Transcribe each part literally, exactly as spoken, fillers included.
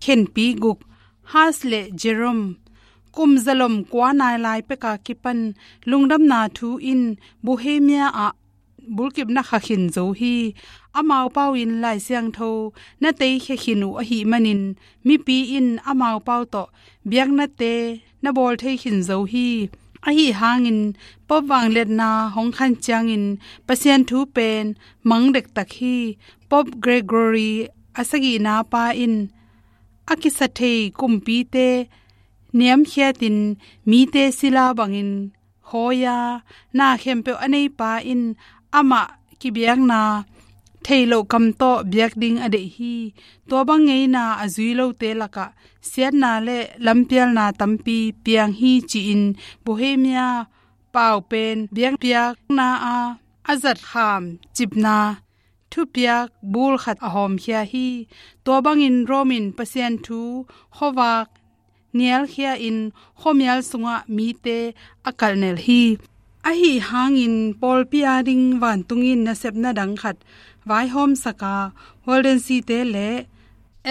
khenpi guk, Huss le Jerome, kum zalom kua nai lai peka kipan lungdamna thu in Bohemia ah bulkipna kha khin zo hi. Amau pau in Lai Siangtho na teikhia khin uh ahih manin mipi in amau pau tawh biaknate na bawl thei khin zo hi. Ahi hangin Pope vangliatna hong khan ciangin Pasian thu pen mang dektak hi. Pope Gregory a sagihna pa in a kisa thei kumpite niamkhiatin mite sila bangin khawi-a na khempeuh a neipa in amah kibiakna theih loh kam tawh biak ding a deih hi. Tua bang ngeina a zui lote lakah siatna le lampialna tampi piang hi ci-in Bohemia pau pen biakpiakna a a zat kham cipna thupiak bul khat a hawmkhia hi. Tua bangin Rome in Pasian thu khuavak nialkhia in khuamial sungah mite a kalhnel hi. Ahi hangin pawlpi ading vantung in nasepna dang khat vaihawmsaka Waldenses-te le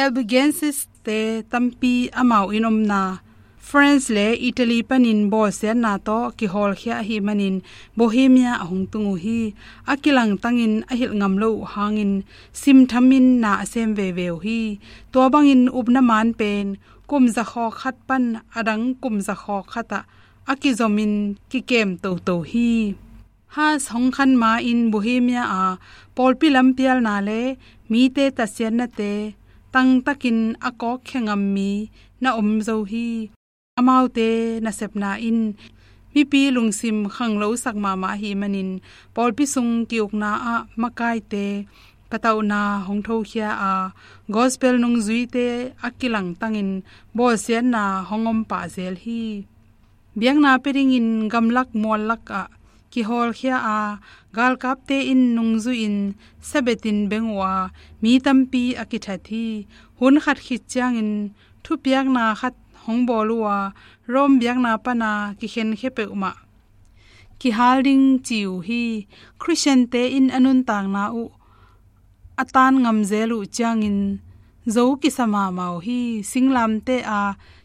Albigenses-te tampi amau inn omna France le Italy panin bawlsiatna tawh kihawlkhia ahih manin Bohemia a hong tung uh hi. A kilangtangin a hilh ngam lo uh hangin simthamin na a sem veve uh hi. Tua bangin upna man pen kum zakhawk khat pan a dang kum zakhawk khatah a kizomin kikem toto hi. Huss hong khan ma-in Bohemia a pawlpi lampialna le mite tatsiatnate tangtakin a kawkkhia ngam mi na om zo hi. Amaute nasepna in mipi lungsim khanglosak mahmah ahih manin pawlpi sung ki-ukna ah makaite patauhna hong thokhia a, gospel nungzuite a kilangtangin bawlsiatna hong om pah zel hi. Biakna pia dingin gamlak muallak ah kihawlkhia a, galkapte in nungzuihin sabetin beng uh a, mi tampi a kithat hi. Hun khat khit ciangin thupiakna khat hong bawl uh a, Rome biakna pana kikhenkhia peuhmah kihal ding ci uh hi. Khristiante in a nuntakna uh a tan ngamzel uh ciangin zo kisa mahmah uh hi. Singlamteh a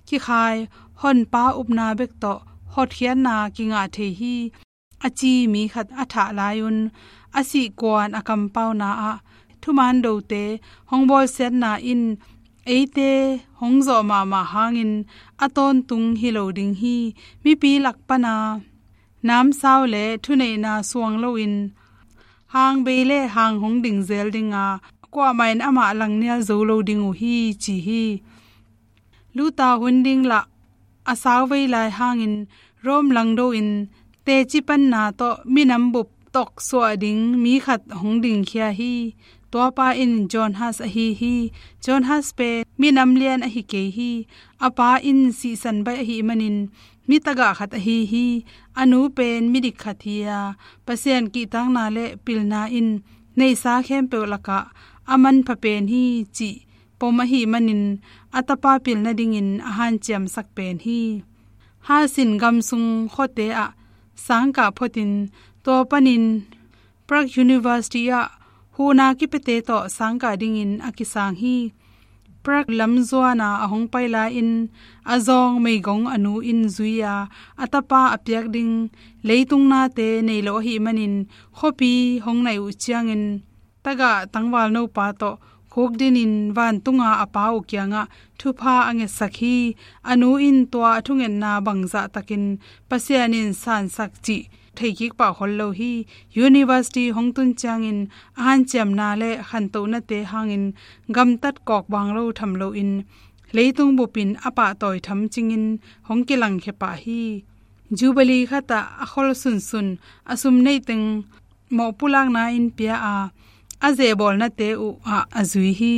kikhai honpa upna bek tawh hotkhiatna kingah thei hi. A ci mi khat a thah lai-un a sihkuan a kampauna ah thuman dote hong bawlsiatna in eite hong zawh mahmah hangin a tawntung hi lo ding hi. Mipi lak pana namsau le thuneihna suang loin hang bei le hang hong ding zel dinga, kuamah in amah langnial zo lo ding uh hi ci hi. Luther hun ding lah a sauvei lai hangin Rome langdo in teci panna tawh minam bup toksuah ding mi khat hong dingkhia hi. Tuapa in John Huss ahi hi. John Huss pen minam lian ahi kei hi. A pa in sihsan baih ahih manin mi tagah khat ahi hi. A nu pen midik khat hi a, Pasian kihtakna le pilna in neihsa khempeuh lakah a manpha pen hi cih pom ahih manin a tapa pilna dingin a hanciamsak pen hi. Huss in gamsung khuate ah sangkah photin tua panin Prague University ah huhna kipiate tawh sangkah dingin a kisang hi. Prague lam zuana a hong pai lai-in a zawng meigong a nu in zui a, a tapa a piak ding leitung nate nei lo ahih manin khuapi hong naih uh ciangin tagah tangvalno pa tawh khukdinin vantunga a pa uh kiangah thupha a ngetsak hi. A nu in tua a thungetna bangzah takin Pasian in sansak cih theikik pah khol lo hi. University hong tun ciangin a hanciamna le khantohnate hangin gamtat kawkbang lo tham loin leitung bupin a pahtawi tham cingin hong kilangkhia pah hi. Jubilee khatah a khol sunsun a sum neiteng mawhpulakna in pia a, a zehbawlnate uh ah a zui hi.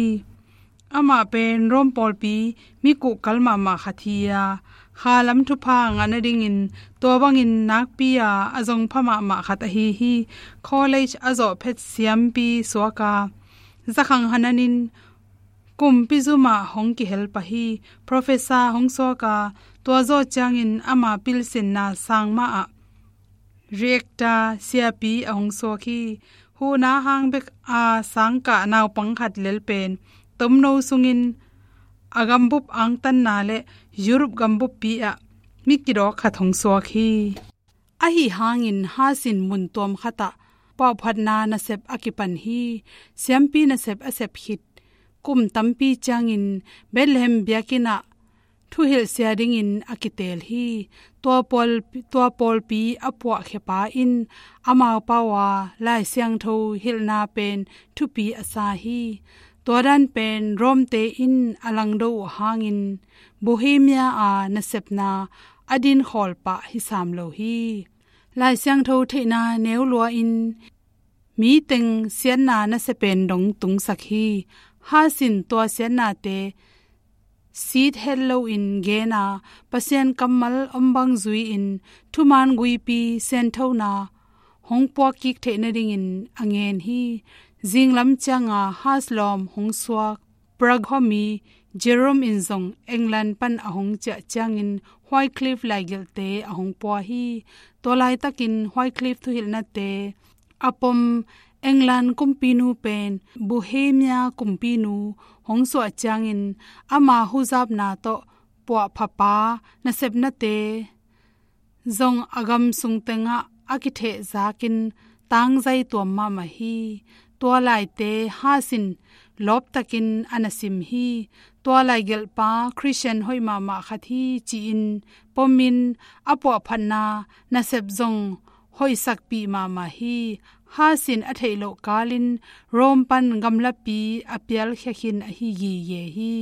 Amah pen Rome pawlpi mi kuhkal mahmah khat hi a, kha lam thupha ngah nadingin tua bangin nakpi a a zongpha mahmah khat ahi hi. College a zawh phet siampi suak a, zakhang hananin kumpi zumah hong kihel pah hi. Professor hong suak a, tua zawh ciangin ama pilsinna sang mah ah rector siapi a hong suak hi. Huhna hang bek a sangkah naupang khat lel pen tomno sungin a gambup angtanna le Europe gambuppi ah mi kidawk khat hong suak hi. Ahi hangin Hus in mun tuam khatah puahphatna nasep a kipan hi. Siampi nasep a sep khit kum tampi ciangin Bethlehem biakinn ah thuhilhsia dingin a kiteel hi. Tua pawl, tua pawlpi a puahkhiapa in amau pau a Lai Siangtho hilhna pen thupi a sa hi. Tua dan pen Rome-te in a langdo uh hangin Bohemia a nasepna a dinkhawl pah hi sam lo hi. Lai Siangtho theihna neu lua-in mi teng siatna nasia pen dong tungsak hi. Hus in tua siatnate sit het loin gen a, Pasian kammal om bang zui-in thuman guipi sianthona hong puak kik theih nadingin a ngen hi. Zinglam cianga Hus lawm hong suak Prague khuami Jerome in zong England pan a hong ciah ciangin Wycliffe laigelhte a hong pua hi. Tua laitakin Wycliffe thuhilhnate a pom England kumpinu pen Bohemia kumpinu hong suah ciangin ama huzapna tawh puahphapa nasepnate zong a gam sung tengah a kithehzakin tangzai tuam mahmah hi. Tua laite Hus in lawptakin a na sim hi. Tua laigelhpa Christian hoih mahmah khat hi ci-in pomin a puahphatna nasep zong hoihsakpih mahmah hi. Hus in a theih loh kalin Rome pan gamlapi a pialkhia khin ahi gige hi.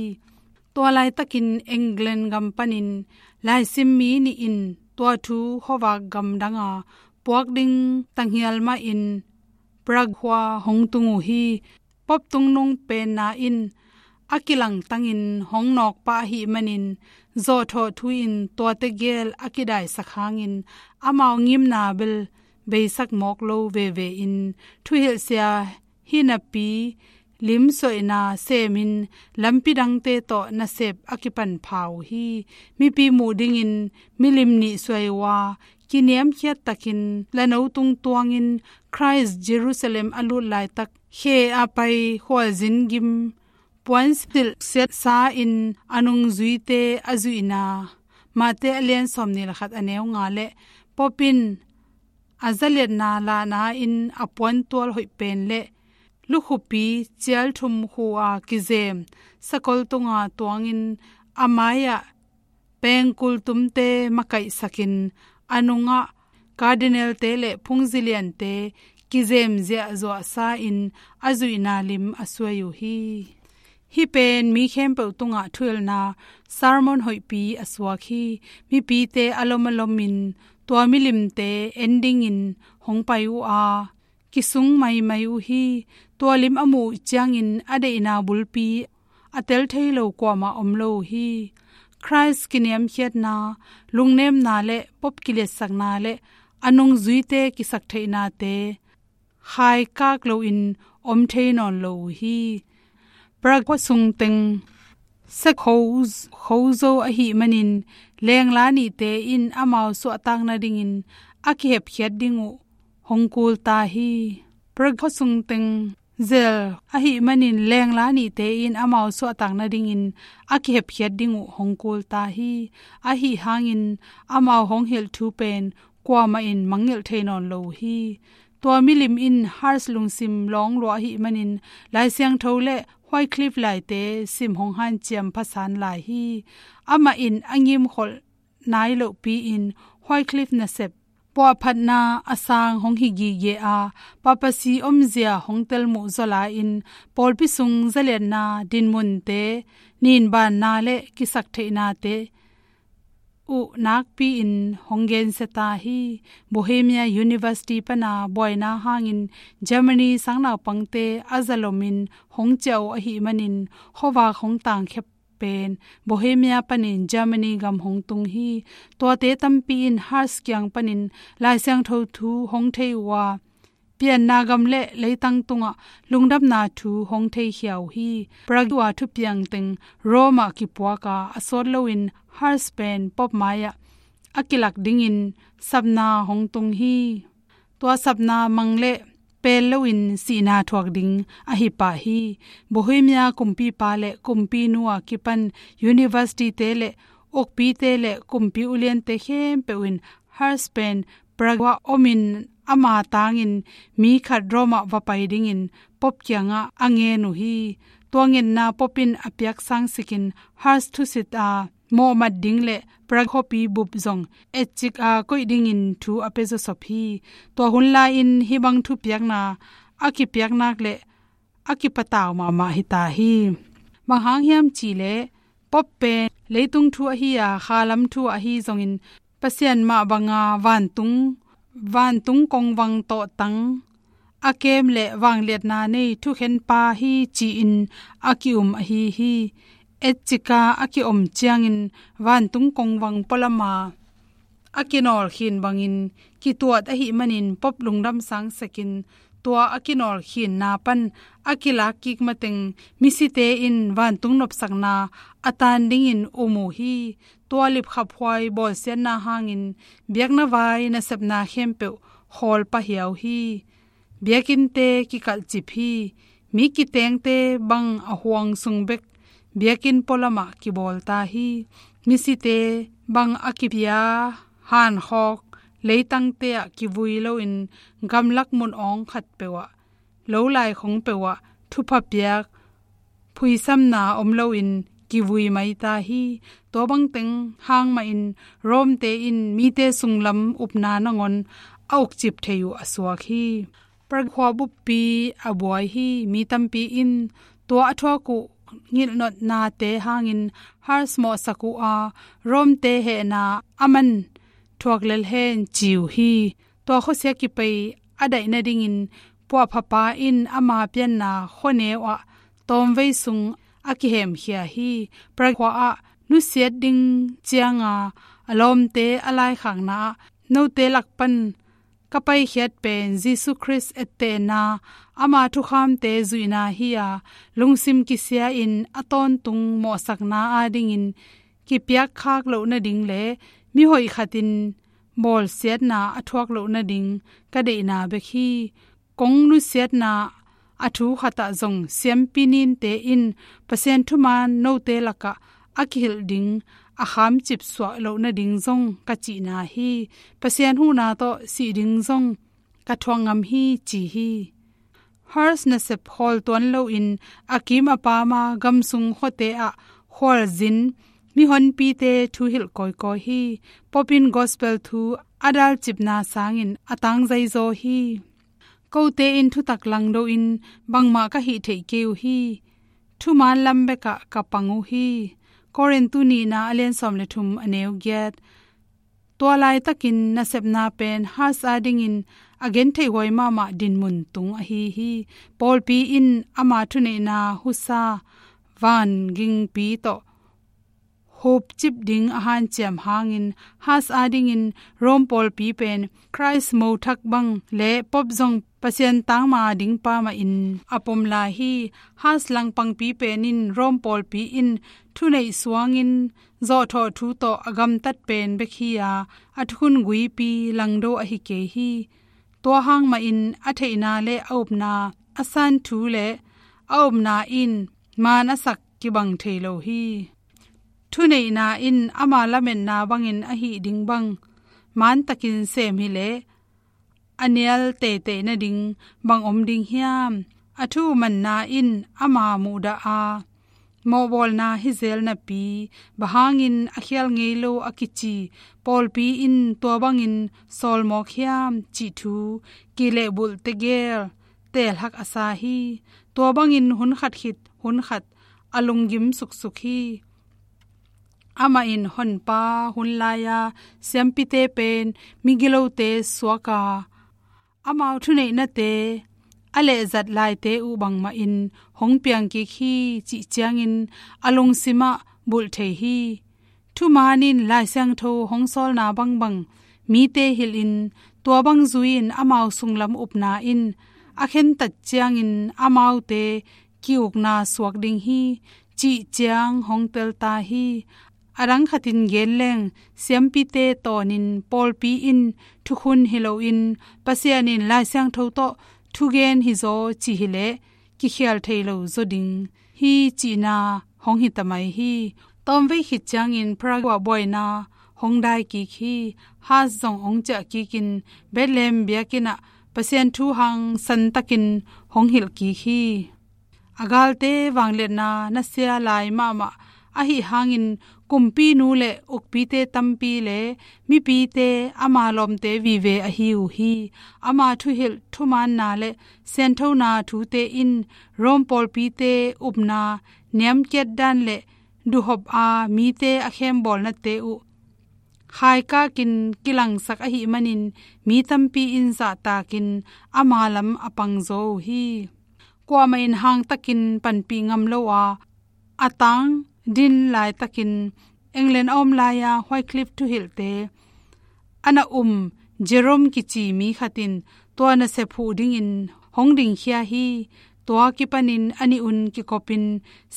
Tua laitakin England gam panin laisim mi nih in tua thu khuavak gamdanga puak ding tanghial mahin Prague khua hong tung uh hi. Pope tungnung penna in a kilangtangin hong nawkpah ahih manin zawhthawh thu-in tuate gel a kidaisak hangin amau ngimna bel beisak mawk lo veve in thuhilhsia hi napi limsuaina semin lampi dangte tawh nasep a kipan pha uh hi. Mipi muh dingin milim nih suai uh a, kiniamkhiat takin lano tung tuangin Christ Jerusalem a lut laitak khe a pai khualzin gim puansilh siatsa-in a nungzuite a zuihna, Mate a lian sawmnih le khat a neu nga le Pope in a zaliatna lahna-in a puantual hoih pen le lukhupi cialthum khu a kizem sakol tunga tuangin a mai-ah pengkul tumte makaihsakin a nungah cardinal-te le phungziliante kizem ziahzuahsa-in a zuihna lim a suai uh hi. Hih pen mi khempeuh tungah thuhilhna sermon hoihpi a suak hi. Mipite a lom a lomin tua milimte en dingin hong pai uh a, kisung maimai uh hi. Tua lim a muh uh ciangin a deihna bulpi a tel thei lo kuamah om lo uh hi. Christ kiniamkhiatna, lungnemna le Pope kiliatsakna le a nungzuite kisaktheihnate khaikak loin om thei nawn lo uh hi. Prague khuasung teng sek kho, khozo ahih manin lengla nihte in amau suahtak nadingin a kihepkhiat ding uh hong kul ta hi. Prague khuasung teng zel ahih manin lengla nihte in amau suahtak nadingin a kihepkhiat ding uh hong kul ta hi. Ahi hangin amau hong hilh thu pen kuamah in mangngilh thei nawn lo uh hi. Tua milim in Hus lungsim lawng lua ahih manin Lai Siangtho le Wycliffe laite sim hong hanciam phasan lai hi. Amah in a ngimkholh nai lohpi-in Wycliffe nasep puahphatna a sang hong hi gige a, papacy omzia hong telmuh zaw lai-in pawlpi sung zaliatna dinmunte, ninbanna le kisaktheihnate uh nakpi-in hong gensia ta hi. Bohemia University pana buaina hangin Germany sangnaupangte a zalomin hong ciah uh ahih manin khuavak hong tangkhia pen Bohemia panin Germany gam hong tung hi. Tuate tampi in Hus kiang panin Lai Siangtho thu hong thei uh a, pianna gam le leitang tungah lungdamna thu hong theikhia uh hi. Prague a thupiang teng Rome ah kipuak a, a sawt loin Hus pen Pope mai-ah a kilak dingin sapna hong tung hi. Tua sapna mang le pel loin sihna thuak ding ahi pah hi. Bohemia kumpipa le kumpinu a kipan university-te le ukpite le kumpi uliante khempeuh in Hus pen Prague ah omin ama tangin mi khat Rome ah va pai dingin Pope kiangah a ngen uh hi. Tua ngetna Pope in a piak sangsikin Hus thusit a mawhmat ding le Prague khuapi bup zong etcik a koih dingin thu a pia zawsop hi. Tua hun lai-in hih bang thupiakna a kipiak nak le a kipatau mahmah hi ta hi. Bang hang hiam cih leh Pope pen leitung thu ahi a, khalam thu ahi zongin Pasian mah banga vantung, vantung kongvang tawhtang a kem le vangliatna nei thukhenpa hi ci-in a ki-um ahi hi. Etcik a a ki-om ciangin vantung kongvang pualama a kinawlkhin bangin kituat ahih manin Pope lungdam sangsekin tua a kinawlkhinna pan a kilak kik mateng misite in vantung nopsakna a tan dingin um uh hi. Tua lipkhaphuai bawlsiatna hangin biakna vai nasepna khempeuh khawl pah hiau hi. Biakinnte kikalhcip hi. Mi kitengte bang a huang sung bek biakinn pualamah kibawl ta hi. Misite bang a kipia hankhawk leitangte ah kivui loin gamlak mun awng khatpeuh ah, lo laikhong peuh ah thupha piak phuisamna om loin kivui mai ta hi. Tua bangteng hang mahin Rome-te in mite sunglam upna nangawn a ukcip thei uh a suak hi. Prague khua buppi a buai hi. Mi tampi in tua a thuak uh ngilhnotnate hangin Hus mawhsak uh a, Rome-te hehna a man thuak lel hen ci uh hi. Tua khuasia kipei a daih nadingin puahphapa in ama pianna khuaneu ah tawmvei sung a kihemkhia hi. Prague khua ah nusiat ding cianga a lawmte a laikhakna ah note lak pan ka paikhiat pen Jesu Khrist ettehna, ama thukhamte zuihna hi a, lungsim kisia-in a tawntung mawhsakna adingin kipiakkhak loh nading le mihoih khatin bawlsiatna a thuak loh nading ka deihna bek hi. Kong nusiatna a thu khatah zong siampi ninte in Pasian thuman note lakah a kihilh ding a khamcip suah loh nading zong ka cihna hi. Pasian huhna tawh sih ding zong ka thuak ngam hi ci hi. Hus nasep khawl tuan loin a kim a pama gamsung khuate ah khualzin mihonpite thuhilh kawikawi hi. Pope in gospel thu a dalcipna sangin a tangzaizaw hi. Kote in thutak langdo in bangmah ka hih theih kei uh hi. Thuman lam bekah ka pang uh hi. Korintu nihna a lian sawm le thum a neu giat. Tua laitakin nasepna pen Hus adingin a gentheihhuai mahmah dinmun tung ahi hi. Pawlpi in ama thuneihna husa vangingpi tawh hupcip ding a hanciam hangin Hus adingin Rome pawlpi pen Khrist mothak bang le Pope zong Pasian tangma dingpa mahin a pom lai hi. Hus langpangpi pen in Rome pawlpi in thuneih suangin zawhthawh thu tawh a gamtat pen bek hi a, a thukhun guipi langdo ahi kei hi. Tua hang mahin a theihna le a upna, a san thu le a upna in maan a sak kibang thei lo hi. Thuneihna in ama lametna bangin a hih ding bang maantakin sem hileh a nial teitei nading bang om ding hiam? A thu manna in ama muhdah a mawhbawlna hi zel napi, bang hangin a khial ngei lo a kici pawlpi in tua bangin sawlmawk hiam cih thu kilehbulh tegel teelhak a sa hi. Tua bangin hun khat khit hun khat a lunggim suksuk hi. Amah in Honpa hun lai-a siampite pen migilote suak a, amau thuneihnate a lehzat laite uh bangmahin hong piangkik hi cih ciangin a lungsimah bulh thei hi. Thuman in Lai Siangtho hong sawlna bangbang mite hilhin, tua bang zui-in amau sunglam upna in a khentat ciangin amaute ki-ukna suak ding hi cih ciang hong tel ta hi. A dang khatin gen leng, siampite tawnin pawlpi in thukhun hi loin Pasian in Lai Siangtho tawh thugen hizaw cih hileh kikhial thei lo zaw ding hi cihna hong hi ta mai hi. Tawmvei khit ciangin Prague ah buaina hong dai kik hi. Hus zong hong ciah kikin Bethlehem biakinn ah Pasian thu hangsan takin hong hilh kik hi. A galte vangliatna nasia lai mahmah ahi hangin kumpinu le ukpite tampi le mipite ama lawmte vive ahi uh hi. Ama thuhilh thumaanna le sianthona thute in Rome pawlpite upna niamkiat dan le duhhop a mite a khembawlnate uh khaikakin kilangsak ahih manin mi tampi in zahtakin ama lam a pangzaw uh hi. Kuamah in hangtakin panpih ngam lo a, a tang din laitakin England a om lai-a Wycliffe thuhilhte a na um Jerome kici mi khat in tua nasep huh dingin hong dingkhia hi. Tua kipanin a nih un kikopin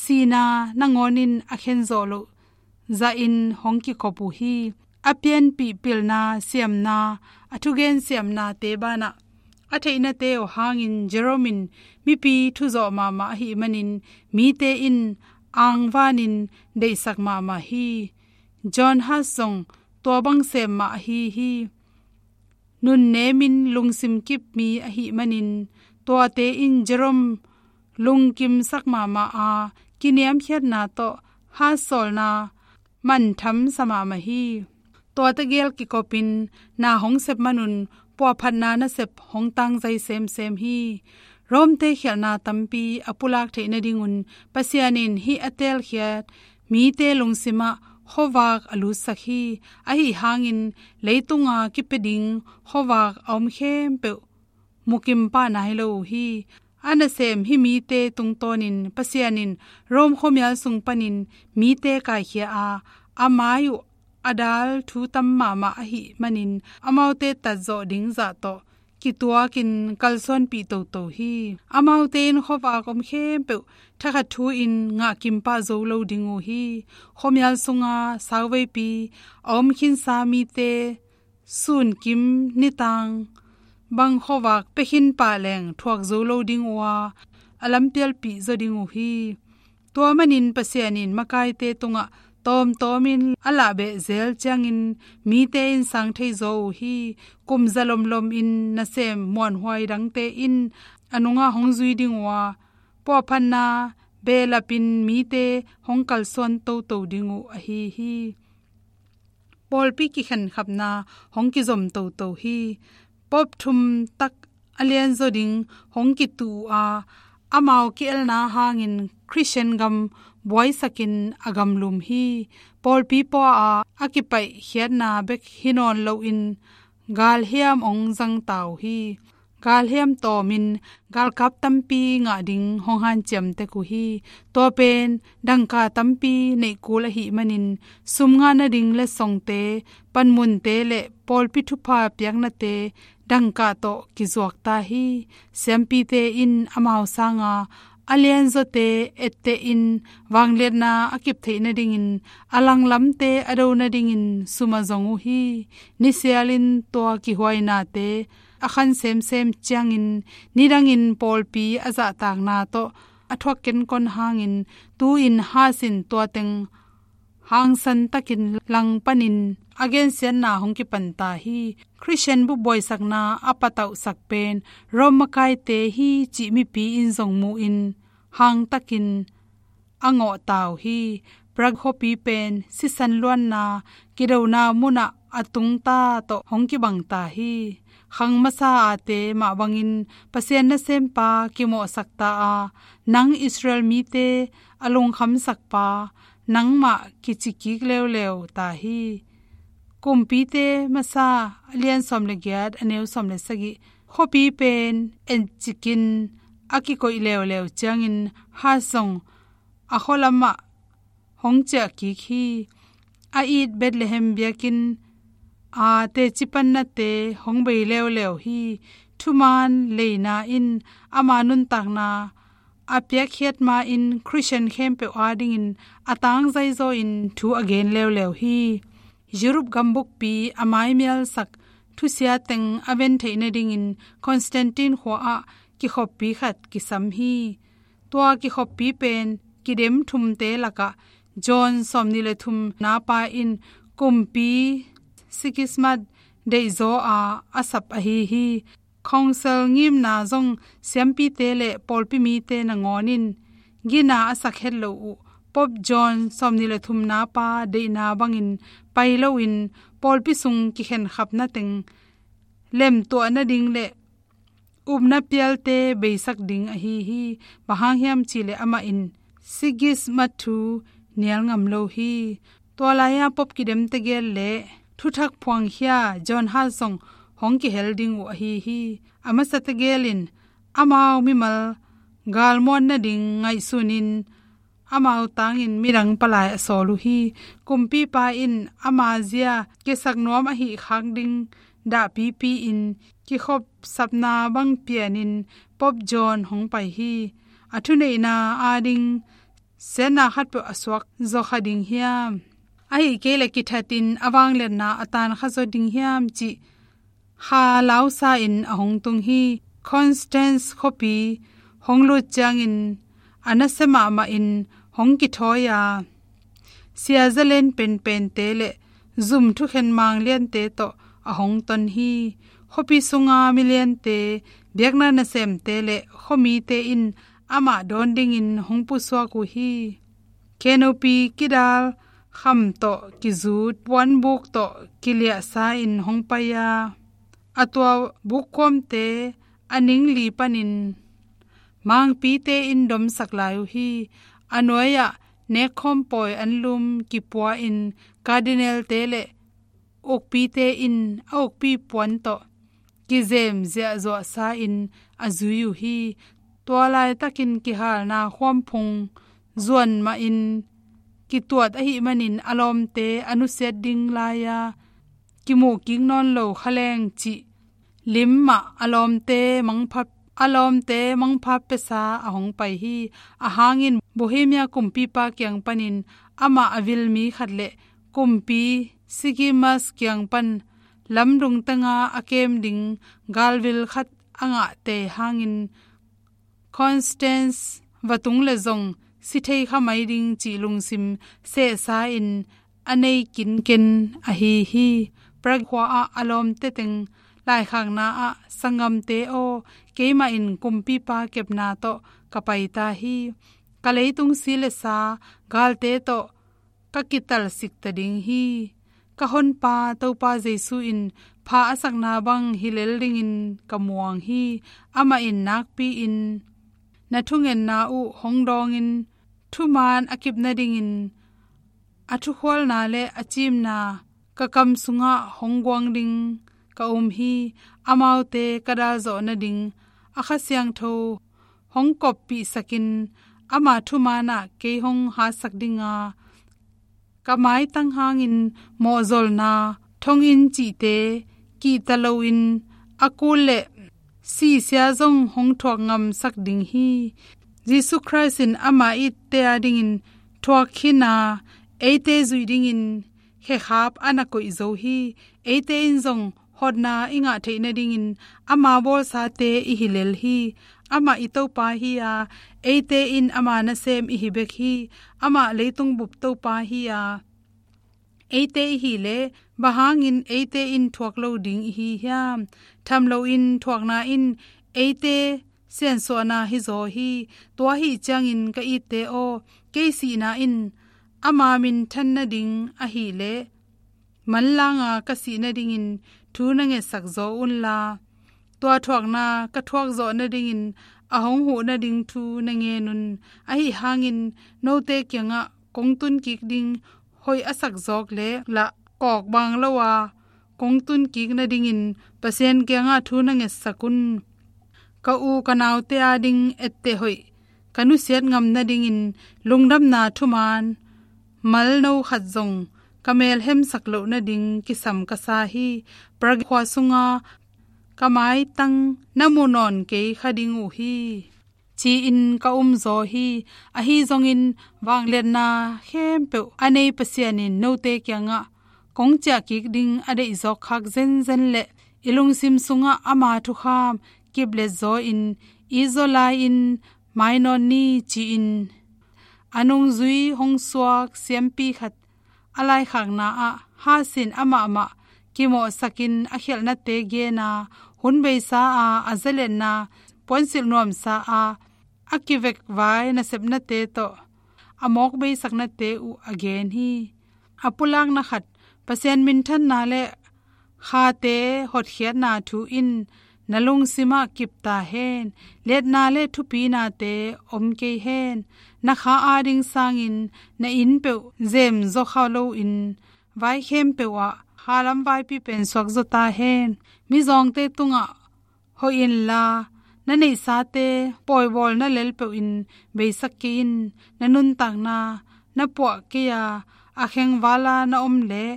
sihna nangawn in a khenzawh loh zahin hong kikhop uh hi. A pianpih pilna siamna, a thugen siamnate banah a theihnate uh hangin Jerome in mipi thuzawh mahmah ahih manin mite in angvanin deihsak mahmah hi. John Hus zong tua bang sem mah ahi hi. Nunnemin lungsim kip mi ahih manin tuate in Jerome lungkimsak mahmah a, kiniamkhiatna tawh Hus sawlna manthamsa mahmah hi. Tua tegel kikopin na hong sep manun puahphatna nasep hong tangzai semsem hi. Rome-te khialhna tampi a pulak theih nadingun Pasian in hih a teelkhiat mite lungsimah khuavak a lutsak hi. Ahi hangin leitunga kipia ding khuavak a om khempeuh mukim pah nai lo uh hi. A nasem hih mite tungtawnin Pasian in Rome khuamial sung panin mite kaikhia a, a mai uh a dal thu tam mahmah ahih manin amaute tatzawh ding zah tawh kituakin kalsuanpih toto hi. Amaute in khuavak om khempeuh thakhat thu-in ngahkim pah zo lo ding uh hi. Khuamial sunga sauveipi a om khinsa mite sunkim nitang bang khuavak pia khin pah leng thuak zo lo ding uh a, a lampialpih zaw ding uh hi. Tua manin Pasian in makaite tungah tawmtawmin a lahbeh zel ciangin mite in sang thei zaw uh hi. Kum zalomlom in nasem muanhuai dangte in a nungah hong zui ding uh a, puahphatna behlapin mite hong kalsuan toto ding uh ahi hi. Pawlpi kikhenkhapna hong kizom toto hi. Pope thum tak a lianzaw ding hong kituh uh a, amau ki-elna hangin Khristian gam buaisakin a gamlum hi. Pawlpi pua a, a kipaihkhiatna bek hi nawn loin galhiam hong zangta uh hi. Galhiam tawmin galkap tampi ngah ding hong hanciam tek uh hi. Tua pen dangka tampi neih kul ahih manin sum ngah nading letsongte, panmunte le pawlpi thupha piaknate dangka tawh kizuakta hi. Siampite in amau sanga a lianzawte ettehin vangliatna a kip theih nadingin, a langlamte a do nadingin sum a zong uh hi. Nisialin tua kihuainate a khan semsem ciangin nidangin pawlpi a zahtakna tawh a thuak kenkon hangin tu-in Husin tua teng hangsan takin langpanin a gensiatna hong kipanta hi. Khristian bup buaisakna a patauhsak pen Rome makaite hi cih mipi in zong muhin hangtakin a ngawhta uh hi. Prague khuapi pen sisan luanna kidona munah a tungta tawh hong kibangta hi. Khang masa ate mah bangin Pasian nasempa kimawhsakta a, nang Israel mite a lungkhamsakpa nangmah kicikik leuleu ta hi. Kumpite masa a lian sawm le giat a neu sawm le sagih. Khuapi pen encikin a kikoih leuleu ciangin Huss zong a khualamah hong ciah kik hi. A it Bethlehem biakinn a teci pannate hong bei leuleu hi. Thumaan leina in ama nuntakna a piakkhiat ma-in Khristian khempeuh adingin a tangzaizaw in thu a gen leuleu hi. Europe gambukpi a maimialsak thusia teng a ven theih nadingin Constantine khua ah kikhoppi khat kisam hi. Tua kikhoppi pen kidem thumte lakah John sawmnih le thumna pa in kumpi Sigismund deihzaw a a sap ahi hi. Council ngimna zong siampite le pawlpi mite nangawn in gina a sak het lo uh Pope John sawmnih le thumna pa deihna bangin pai loin pawlpi sung kikhenkhapna teng lemtuah nading le upna pialte beisak ding ahi hi. Bang hang hiam cihleh amah in Sigismund thu nial ngam lo hi. Tua lai-a Pope kidem tegel le thuthak phuangkhia John Huss zong hong kihel ding uh ahi hi. A masa tegel in amau mimal galmuan nading ngaihsunin amau tangin midang palai a sawl uh hi. Kumpipa in ama zia kisak nuam ahih khak ding dahpipi in kikhopsapna bang pianin Pope John hong pai hi. A thuneihna ading siatna khatpeuh a suak zaw kha ding hiam? Ahih kei leh kithatin a vangliatna a tankha zaw ding hiam cih kha lausa in a hong tung hi. Constance khuapi hong lut ciangin a nasia mahmah in hong kithawi a, sia zalen penpente le zum thukhen mangliante tawh a hong ton hi. Khuapi sunga miliante, biakna nasemte le khuamite in amah dawn dingin hong pusuak uh hi. Canopy kidal kham tawh kizut, puanbuk tawh kiliahsa in hong pai a, a tua bukkuamte a ning li panin mangpite in domsak lai uh hi. A nuai-ah nekkhawm pawi anlum kipua in cardinal-te le ukpite in a ukpi puan tawh kizem ziahzuahsa in a zui uh hi. Tua laitakin kihalna khuamphung zuan mahin kituat ahih manin a lawmte a nusiat ding lai-a kimuh kik nawn lo kha leng cih lim mah a lawmte mangpha, a lawmte mangpha piasa a hong pai hi. Ahang in Bohemia kumpipa kiang panin amah a vil mi khat le kumpi Sigismund kiang pan lamdung tenga a kem ding galvil khat a ngahte hangin Constance va tung leh zong si thei kha mai ding cih lungsim sehsa in a nei kinken ahi hi. Prague khua-ah a lawmte teng laikhakna ah, "Sanggamte aw, keimah in kumpipa kepna tawh ka pai ta hi. Ka leitung si le sa, galte tawh ka kitalsik ta ding hi. Ka honpa Topa Jesu in pha a sakna bang hi lel dingin ka muang hi. Amah in nakpi-in na thungetna uh hong dawngin, thuman a kip nadingin a thukhualna le a cimna ka kam sungah hong guang ding ka um hi. Amaute ka dal zawh nading a Kha Siangtho hong koppihsakin ama thumanah kei hong hatsak ding a, ka maitang hangin mawhzolna thonginn cihte kihta loin a kul le sihsia zong hong thuak ngamsak ding hi." Jesu Khrist in ama itte adingin thuak khin a, eite zuih dingin khekhap a na koih zo hi. Eite in zong hotna i ngah theih nadingin ama bawlsate i hi lel hi. Amah i Topa hi a, eite in ama nasem i hi bek hi. Amah leitung bup Topa hi a, eite i hih leh bang hangin eite in thuak lo ding i hi hiam? Tham loin thuakna in eite siansuahna hi zaw hi. Tua ahih ciangin ka itte aw, kei sihna in ama minthan nading ahih leh manlanga ka sih nadingin thu na ngetsak zaw unla, tua thuakna ka thuak zawh nadingin a hong huh nading thu na ngen un. Ahi hangin note kiangah kong tun kik ding hoih a sak zawk leh lah, kawk bang lo a kong tun kik nadingin Pasian kiangah thu na ngetsak un. Ka u ka naute ading etteh hoih ka nusiat ngam nadingin lungdamna thuman malno khat zong ka melhemsak loh nading kisam ka sa hi. Prague khua sunga ka maitang na mu nawn kei kha ding uh hi, ci-in ka um zaw hi. Ahi zongin vangliatna khempeuh a nei Pasian in note kiangah kong ciah kik ding a deih zawk khak zenzen le i lungsim sungah ama thukham kiplet zaw in i zaw lai-in mai nawn ni ci-in a nungzui hong suak siampi khat a laikhakna ah Hus in amahmah kimawhsakin a khialhnate gen a, hun beisa a, a zalenna puansilh nuamsa a, a kivek vai nasepnate tawh a mawk beisaknate uh a gen hi. A pulakna khat, Pasian minthanna le khate hotkhiatna thu in na lungsimah kip ta hen. Liatna le thupinate om kei hen. Na kha ading sangin na inn peuh zem zaw kha loin vai khempeuh ah khalam vaipi pen suak zaw ta hen. Mizawngte tungah hoih inla, na neihsate pawibawlna lel peuh in beisak kei in. Na nuntakna, na puah kei a, a khengvala na om leh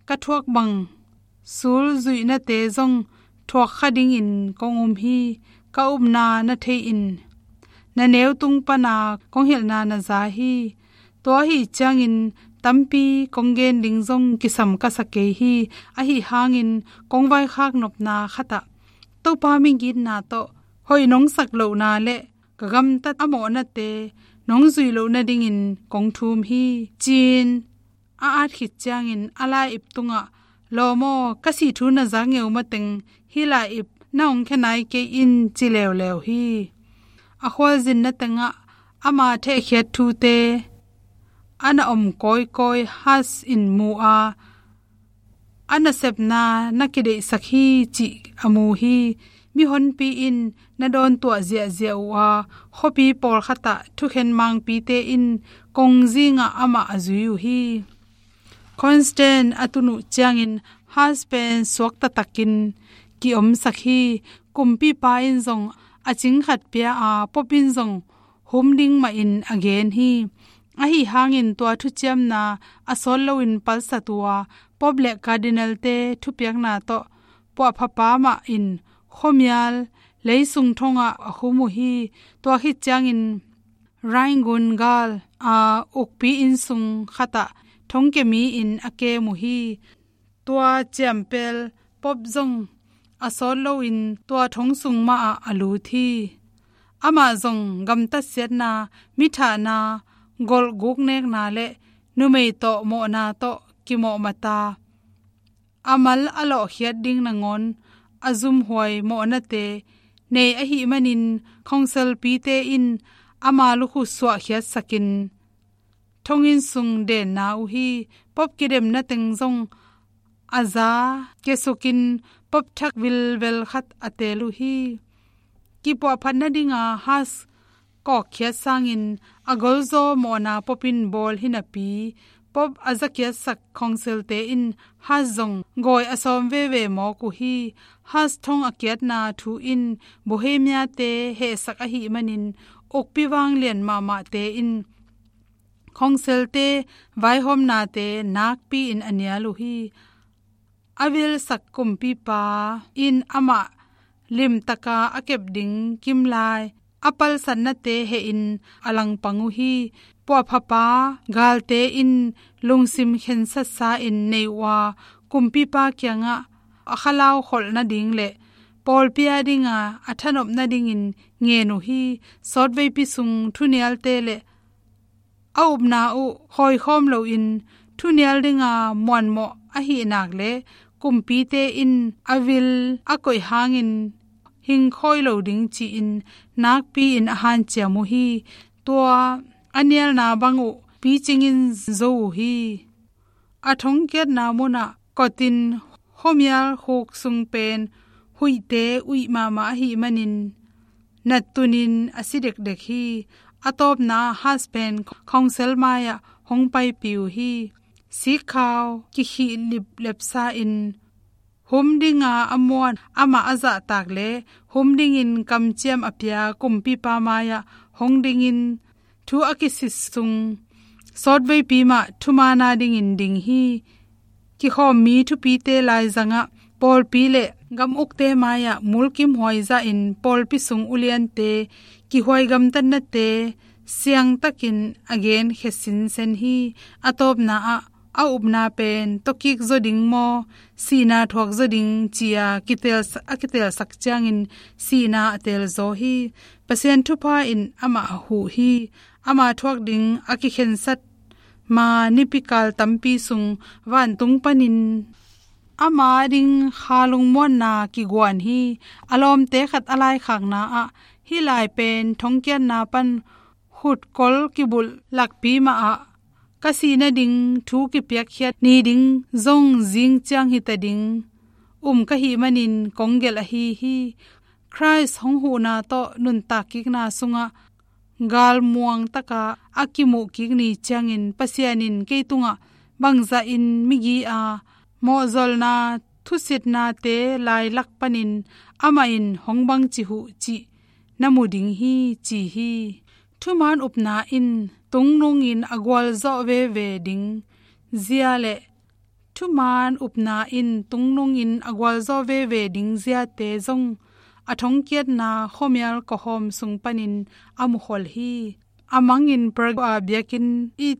ka thuak bang sul zuihnate zong thuak kha dingin kong um hi. Ka upna na thei in. Na neu tung pana kong hilhna na za hi. Tua ahi ciangin tampi kong gen ding zong kisam ka sa kei hi. Ahi hangin kong vaikhak nopna khatah Topa migitna tawh hoih nong sak lohna le ka gamtat a mawhnate nong zuih loh nadingin kong thum hi, ci-in a at khit ciangin a lai-ip tungah, lawm aw, ka sih thu na zak ngeu mateng hih lai-ip na hong khia nai kei in, ci leuleu hi. A khualzinna tengah ama thehkhiat thute a na om kawikawi Hus in mu a, a nasepna na kideihsak hi cih a mu hi. Mihonpi in na dawntuah ziahziah uh a, khuapi pawlkhatah thukhen mangpite in kongzingah amah a zui uh hi. Constance a tun uh ciangin Hus pen suak taktakin ki-omsak hi. Kumpipa in zong a cing khat pia a, Pope in zong hum ding mahin a gen hi. Ahi hangin tua thuciamna a sawt loin palsat uh a, Pope le Cardinal-te thupiakna tawh puahphapa mah in khuamial leisung thongah a khum uh hi. Tua khit ciangin Rhine gun gal a ukpi innsung khatah thongkia mi-in a kem uh hi. Tua ciampel Pope zong a sawt loin tua thong sung mahah a lut hi. Amah zong gamtat siatna, mithahna, golhguk nekna le numei tawh mawhna tawh kimawhmata, a mal a lawhkhiat ding nangawn a zumhuai mawhnate nei ahih manin, khongselpite in ama lukhu suahkhiatsakin thonginn sung denna uh hi. Pope kidemna teng zong a za kiasukin Pope thak vilvel khat a teel uh hi. Kipuahphat nadinga Hus kawkkhiat sangin a golzaw mawhna Pope in bawl hi napi, Pope a zakiatsak khongselte in Hus zong gawi a sawm veve mawk uh hi. Hus thong a kiatna thu in Bohemia-te hehsak ahih manin, ukpi vanglian mahmahte in khongselte vaihawmnate nakpi-in a nial uh hi. A vilsak kumpipa in amah limtaka a kep ding kimlai a palsatnate hehin a langpang uh hi. Puahphapa galte in lungsim khensatsa-in nei uh a, kumpipa kiangah a khalau kholh nading le pawlpi adinga a thanop nadingin ngen uh hi. Sawtveipi sung thunialte le a upna uh khawikhawm loin thunial dinga muanmawh ahih nak le kumpite in a vil a koih hangin hingkhawi lo ding ci-in nakpi-in a hanciam uh hi. Tua a nialna bang uh picingin zo uh hi. A thongkiatna munah kotin khuamial khuk sung pen huihte uih mahmah ahih manin nattunin a si dekdek hi. A tawpna Hus pen khongsel mai-ah hong paipih uh hi. Sikkhau kikhih liplep sa-in hum dinga a muan amah a zahtak le hum dingin kamciam a pia kumpipa mai-ah hong dingin thu a kisit sung sawtveipi mah thumaana dingin ding hi. Kikhawmmi thupite laizangah pawlpi le gam ukte mai-ah mulkimhuai zahin pawlpi sung uliante kihuai gamtatnate siangtakin a genkhia sinsen hi. A tawpna ah a upna pen tawkik zaw ding maw, sihna thuak zaw ding ci-a kitel, a kitelsak ciangin sihna a telzaw hi. Pasian thupha in amah a huh hi. Ama thuak ding a kikhensat ma nipikal tampi sung vantung panin ama ding kha lungmuanna kiguan hi. A lawmte khat a laikhakna ah hih lai pen thongkiatna pan hutkol kibulh lakpi mah ah ka sih nading thu kipiakkhiat ni ding zong zing ciang hita ding um ka hih manin kong gelh ahi hi. Khrist hong huhna tawh nuntak kikna sungah galmuang taka a kimuh kik ni ciangin Pasian in kei tungah bangzahin migi a mawhzolna thusitnate lailak panin amah in hong bangci huh cih na mu ding hi, ci hi. Thuman upna in tungnungin a gualzawh veve ding zia le thuman upna in tungnungin a gualzawh veve ding ziate zong a thongkiatna khuamial kawhawm sung panin a mukhol hi. A mangin Prague a biakinn i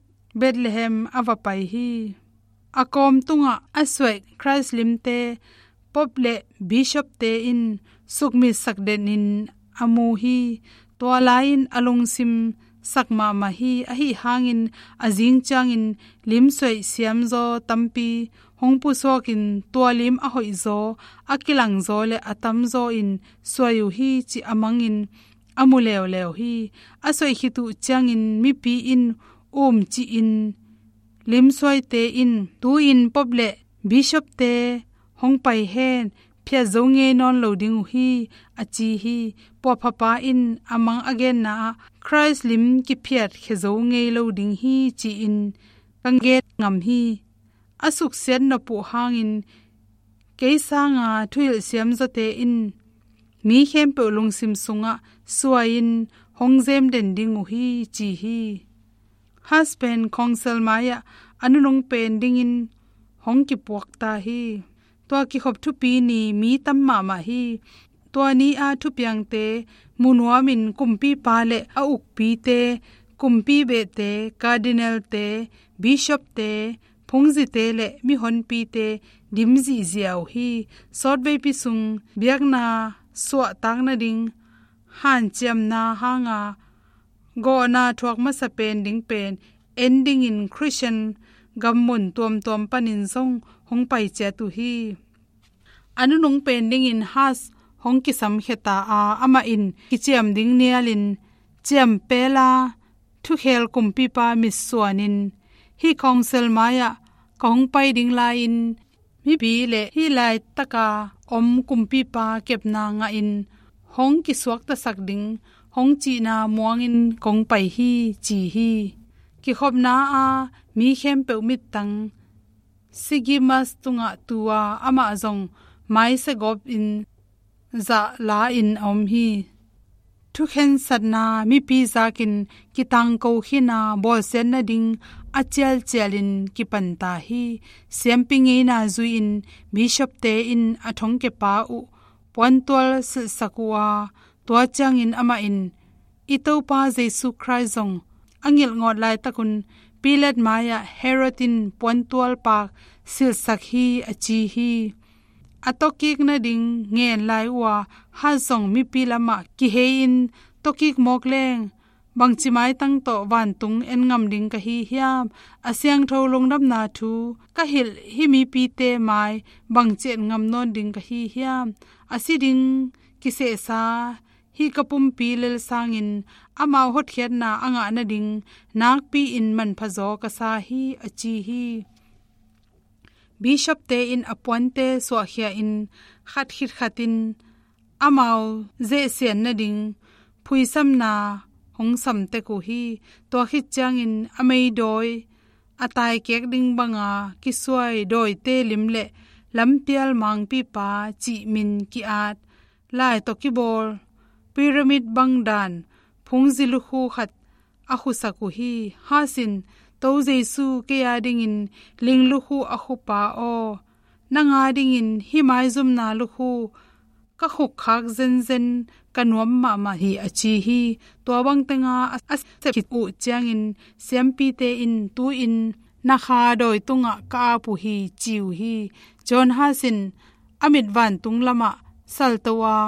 Bethlehem a va pai hi. A kawm tungah a suaih Khrist limte Pope le Bishopte in sukmitsak denin a mu hi. Tua lai-in a lungsim sak mahmah hi. Ahi hangin a zing ciangin limsuaih siamzaw tampi hong pusuakin tua lim a hoihzaw, a kilangzaw le a tamzaw in suai uh hi cih a mangin a mu leuleu hi. A suaih khit uh ciangin mipi in um cihin limsuaite in, "Tu-in Pope le Bishopte hong pai hen, phiat zo ngei nawn lo ding uh hi," a ci hi. Puahphapa in a mang a genna ah, "Khrist lim kiphiat khia zo ngei lo ding hi," ci-in ka gen ngam hi. A suksiat nop uh hangin kei sanga thuhilh siamzawte in mi khempeuh lungsim sungah suai-in hong zem den ding uh hi, ci hi. Hus pen khawngsel mai-ah a nunung pen dingin hong kipuak ta hi. Tua kikhop thupi ni mi tam mahmah hi. Tua ni-a thupiangte mu nuamin kumpipa le a ukpite, kumpi behte, cardinalte, bishopte, phungzite le mihonpite dim zihziah uh hi. Sawtveipi sung biakna suahtak nading hanciamna hanga gawhna thuak masa pen ding pen en dingin Christian gammun tuamtuam panin zong hong pai ciat uh hi. A nunung pen dingin Hus hong kisamkhia ta a, amah in kiciam ding nialin ciampela thukhel kumpipa mitsuanin, "Hih khawngsel mai-ah ka hong pai ding lai-in mipi le hih laitaka om kumpipa kepna ngahin hong kisuaktasak ding hong cihna muangin kong pai hi," ci hi. Kikhopna a mi khempeuh mittang Sigimus tungah tu a, amah zong maisa gawpin zahla-in a om hi. Thukhensatna mipi zakin kitangko khin a, bawlsiat nading a cialcialin kipan ta hi. Siampi ngeina zui-in bishopte in a thongkiapa uh puantual silhsak uh a, tua ciangin amah in, "I Topa Jesu Khrist zong a ngilh ngawt laitakun Pilat mai-ah Herod in puantual paak silhsak hi," a ci hi. A tawkik nading ngen lai uh a, Hus zong mipi lamah kihei-in, "Tawkik mawk leng bangci maitang tawh vantung en ngam ding ka hi hiam? A siangtho lungdamna thu ka hilh hih mipite mai bangci et ngam nawn ding ka hi hiam? A si ding kisehsa hih ka pumpi lel sangin amau hotkhiatna a ngah nading nakpi-in manphazaw ka sa hi," a ci hi. Bishopte in a puante suahkhia-in khat khit khatin amau zehsian nading phuisamna hong samtek uh hi. Tua khit ciangin a meidawi a taikek ding banga kisuai dawite lim le lampial mangpipa cih min ki-at, lai tawh kibawl pyramid bang dan phungzi lukhu khat a khusak uh hi. Hus in, "Topa Jesu kei a dingin ling lukhu a khupa aw, nang a dingin hih maizumna lukhu ka khukkhak zenzen ka nuam mahmah hi," a ci hi. Tua bang tenga a sep khit uh ciangin siampite in, "Tu-in na kha dawi tungah ka ap uh hi, ci uh hi. John Huss in a mit vantung lamah salto a,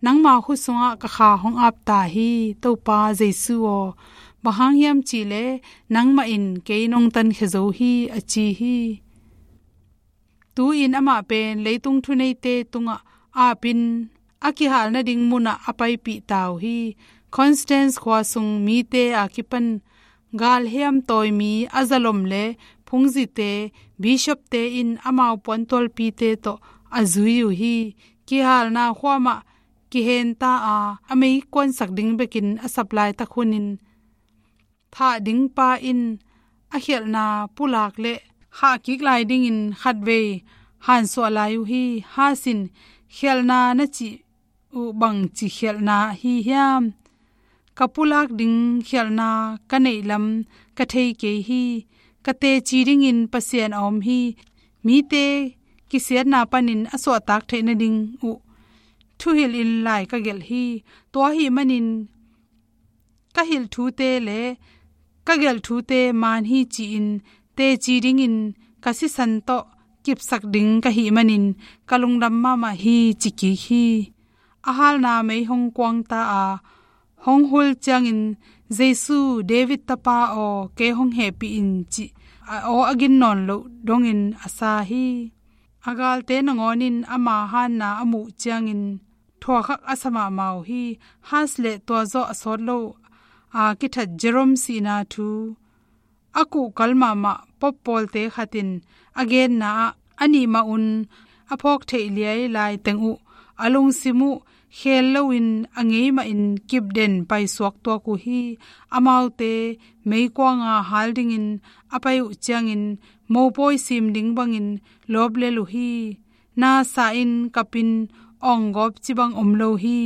nangma khut sungah ka kha hong ap ta hi, Topa Jesu aw. Bang hang hiam cihleh nangmah in kei nong tankhia zo hi, a ci hi. Tu-in amah pen leitung thuneite tungah apin a kihal nading munah a paipih ta uh hi. Constance khua sung mite a kipan galhiam tawi mi a zalom le phungzite, bishopte in amau puantualpite tawh a zui uh hi. Kihalna khua mah kihenta a, a meikuansak ding bekin a sap laitak hunin thah ding pa in a khialhna pulak le khahkik lai dingin khatvei hansuah lai uh hi. Huss in, khialhna na cih uh bangci khialhna hi hiam? Ka pulak ding khialhna ka neih lam ka thei kei hi. Ka teci dingin Pasian a om hi. Mite kisiatna panin a suahtak theih nading uh thuhilhin lai ka gelh hi. Tua ahih manin ka hilh thute le ka gelh thute man hi, ci-in teci dingin ka sisan tawh kipsak ding ka hih manin ka lungdam mahmah hi, ci kik hi. A halna mei hong kuang ta a, hong hul ciangin, Jesu, David tapa aw, kei hong hehpih in, cih a aw a gin nawn loh dongin a sa hi. A galte nangawn in ama hanna a muh ciangin thuakhak a sa mahmah uh hi. Huss le tua zawh a sawt lo a kithat Jerome sihna thu a kuhkal mahmah Pope pawlte khat in a genna ah, a nih mah un a phawk theih liai lai teng uh a lungsim uh khel loin a ngei mahin kipden paisuak tuak uh hi. Amaute meikuanga hal dingin a pai uh ciangin mopawi sim ding bangin lawp lel uh hi. Nasa in kapin awnggawp ci bang om lo hi.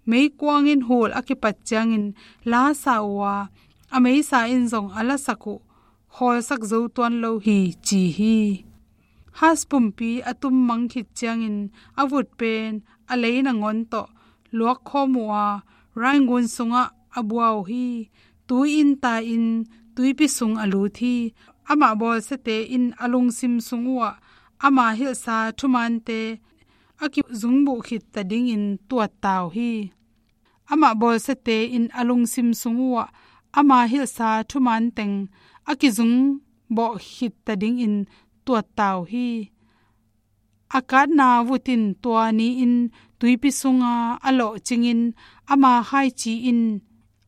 Meikuang in hul a kipat ciangin la sa uh a, a meisa in zong a lasak uh khawlsak zo tuan lo hi, ci hi. Huss pumpi a tummang khit ciangin a vut pen a lei nangawn tawh luakkhawm uh a, Rhine gun sungah a bua uh hi. Tui in tai-in tuipi sung a lut hi. Amah bawlsiate in a lungsim sung uhah ama hilhsa thumaante a kizungbuh khit ta dingin tuat ta uh hi. Amah bawlsiate in a lungsim sung uhah ama hilhsa thumaan teng a kizungbawh khit ta dingin tuat ta uh hi. A katna vut in tua ni-in tuipi sunga a lawhcingin ama khaici in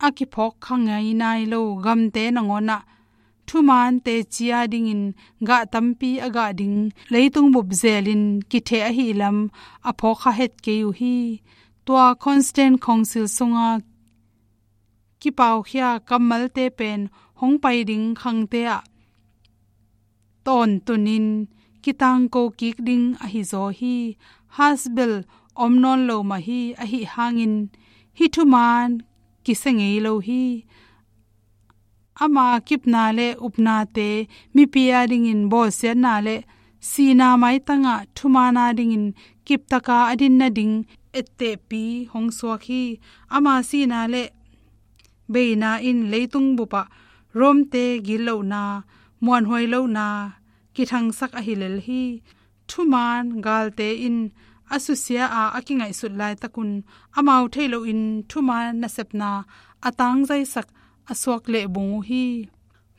a kiphawk kha ngei nai lo gamte nangawn ah thumaan teci a dingin gah tampi a gah ding leitung bup zelin kitheh ahih lam a phawk kha het kei uh hi. Tua Constance Council sunga kipaukhia kammalte pen hong pai ding khangte ah tawntunin kitangko kik ding ahi zaw hi. Huss bel om nawn lo mah hi. Ahi hangin hih thumaan kisia ngei lo hi. Ama kipna le upnate mipi a dingin bawlsiatna le sihna maitangah thumaan a dingin kiptaka a din nading ettehpi hong suak hi. Ama sihna le beina in leitung bupah Rome-te gitlohna, muanhuai lohna kithangsak ahi lel hi. Thumaan galte in a susia a a kingaihsut laitakun amau thei loin thumaan nasepna a tangzaisak a suak lehbung uh hi.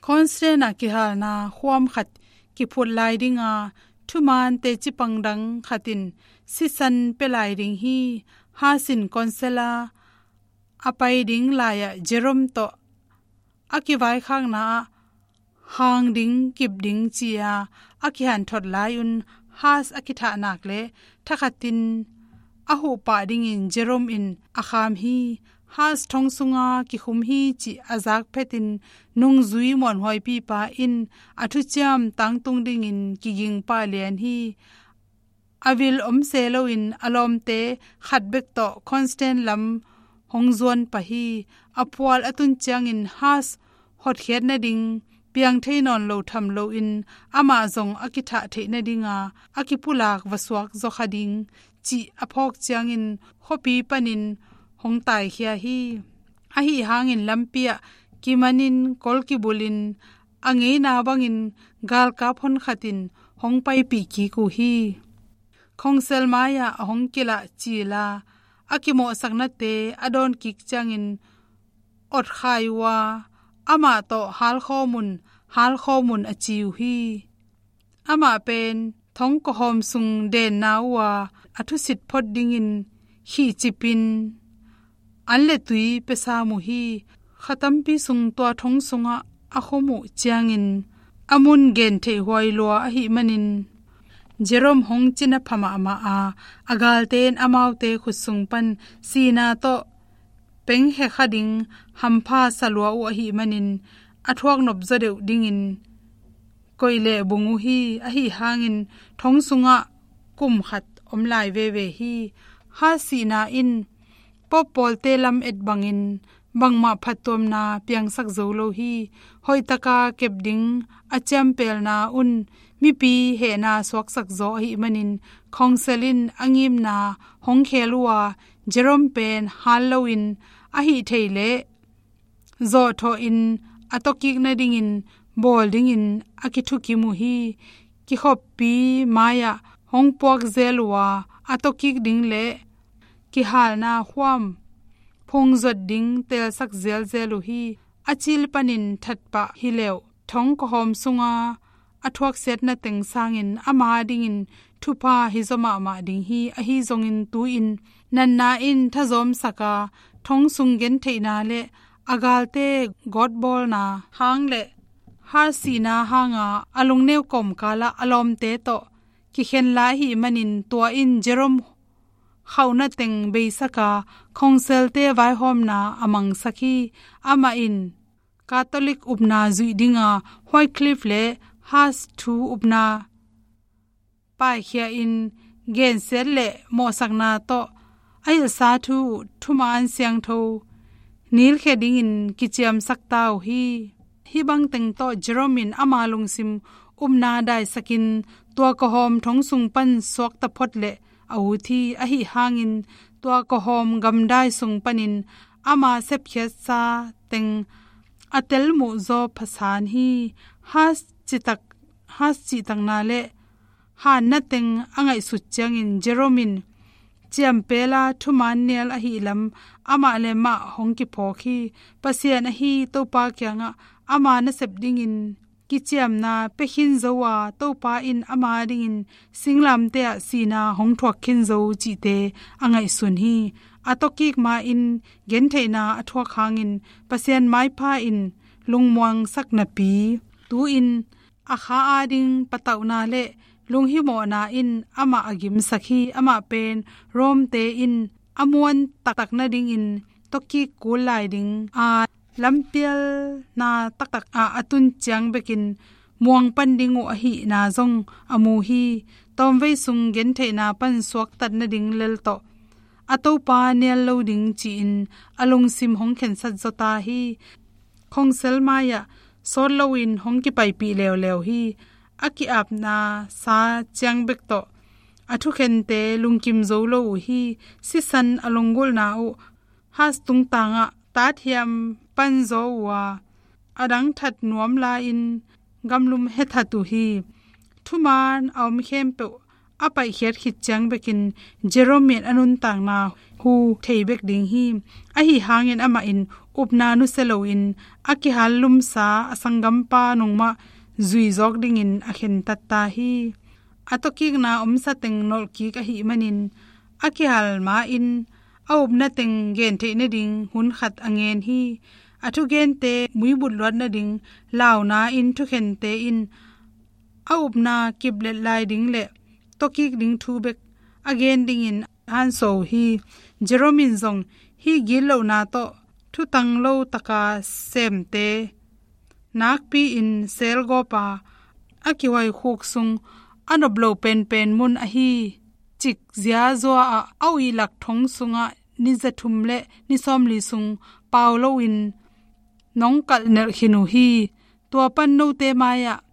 Constance a kihalna khuam khat kiphut lai dinga thumaan teci pang dang khat in sisan pia lai ding hi. Huss in Constance a a pai ding lai-ah Jerome tawh a kivaikhakna ah hang ding kip ding ci-a a kihanthot lai-un Huss a kithah nak le thakhatin a huh pah dingin Jerome in a kham hi. Huss thong sunga kikhum hi cih a zak phetin nungzui muanhuaipipa in a thuciam tangtung dingin kiging pah lian hi. A vil om se loin a lawmte khat bek tawh Constance lam hong zuan pah hi. A phual a tun ciangin Huss hotkhiat nading piang thei nawn lo tham loin amah zong a kithah theih nadinga a kipulak va suak zaw kha ding cih a phawk ciangin khuapi panin hong taikhia hi. Ahi hangin lampi ah kimanin kol kibulin a ngeina bangin galkap honkhat in hong paipih kik uh hi. Khongsel mai-ah a hong kilah cila a kimawhsaknate a dawn kik ciangin otkhai uh a, amah tawh halkhawm un, halkhawm un a ci uh hi. Amah pen thongkawhawm sung denna uh a, a thusit phot dingin khihcipin an le tui pia sam uh hi. Kha tampi sung tua thong sungah a khum uh ciangin a mun gentheih huai lua ahih manin Jerome hong cina pha mahmah a, a galte in amaute khut sung pan sihna tawh pengkhe kha ding hampha sa lua uh ahih manin a thuak nop zaw deuh dingin koih leh bung uh hi. Ahi hangin thong sungah kum khat om lai veve hi. Haas sihna in Pope pawlte lam et bangin bangmah phattuamna piangsak zo lo hi. Hoihtaka kep ding a ciampelna un mipi hehna suaksak zaw ahih manin Khongsel in a ngimna hong khel uh a, Jerome pen hal loin a hih theih leh zawhthawh in a tawkik nadingin bawl dingin a kithukim uh hi. Kikhoppi mai-ah hong puak zel uh a, a tawkik ding le kihalna khuam phungzot ding telsak zelzel uh hi. A cil panin thatpah hi leuh thongkawhawm sunga a thuaksiatna teng sangin ama dingin thupha hi zaw mahmah ding hi. Ahi zongin tu-in natna in thazawmsak a, thong sung gentheihna le a galte gawtbawlna hang le Haas sihna hanga a lungneu kawmkalah a lawmte tawh kikhen lai ahih manin tua in Jerome khauhna teng beisak a, Khongselte vaihawmna a mangsak hi. Amah in Catholic upna zuih dinga Wycliffe le Haas thu upna paikhia in gensiat le mawhsakna tawh a hilhsa thu uh thuman siangtho nilkhia dingin kiciamsak ta uh hi. Hih bangteng tawh Jerome in ama lungsim upna daisakin tua kawhawm thong sung pan suakta phot le a ut hi. Ahi hangin tua kawhawm gamdai sung panin ama sepkhiatsa teng a telmuh zaw phasan hi. Haas citak, Haas cihtakna le hanna teng a ngaihsut ciangin Jerome in ciampela thuman nial ahih lam amah le mah hong kiphawk hi. Pasian ahi Topa kiangah ama nasep dingin kiciamna pia khin zo a, Topa in ama dingin singlamteh ah sihna hong thuak khin zo cihte a ngaihsun hi. A tawkik ma-in gentheihna a thuak hangin Pasian maipha in lungmuangsak napi tu-in a kha ading patauhna le lunghimawhna in amah a gimsak hi. Amah pen Rome-te in a muan taktak nadingin tawkik kul lai ding a lampialna taktak ah a tun ciang bekin muang pan ding uh ahihna zong a mu hi. Tawmvei sung gentheihna pan suaktat nading lel tawh a Topa nial lo ding ci-in a lungsim hong khensat zaw ta hi. Khongsel mai-ah sawt loin hong kipaipih leuleu hi. A ki-apna sa ciang bek tawh a thukhente lungkim zo lo uh hi. Sisan a lunggulhna uh Haas tungtangah tathiam panzaw uh a, a dang that nuam lai-in gamlum hethat uh hi. Thuman a om khempeuh a paihkhiat khit ciang bekin Jerome in a nuntakna hu thei bek ding hi. Ahi hangin amah in upna nusia loin a kihal lumsa a sanggampa nungmah zuizawk dingin a khentat ta hi. A tawkikna omsa teng nolhkik ahih manin a kihal ma-in a upna teng gentheih nading hun khat a ngen hi. A thugente muibut luat nading launa in thukhente in a upna kiplet lai ding le tawkik ding thu bek a gen dingin a hansuah uh hi. Jerome in zong hih gitlohna tawh thutang lo taka semte nakpi-in selgawp a, a kihuaikhuk sung a nop lo penpen mun ahi cik ziazua ah a uihlak thong sungah ni zathum le ni sawmli sung pau loin nong kalh nelh khin uh hi. Tua pan note mai-ah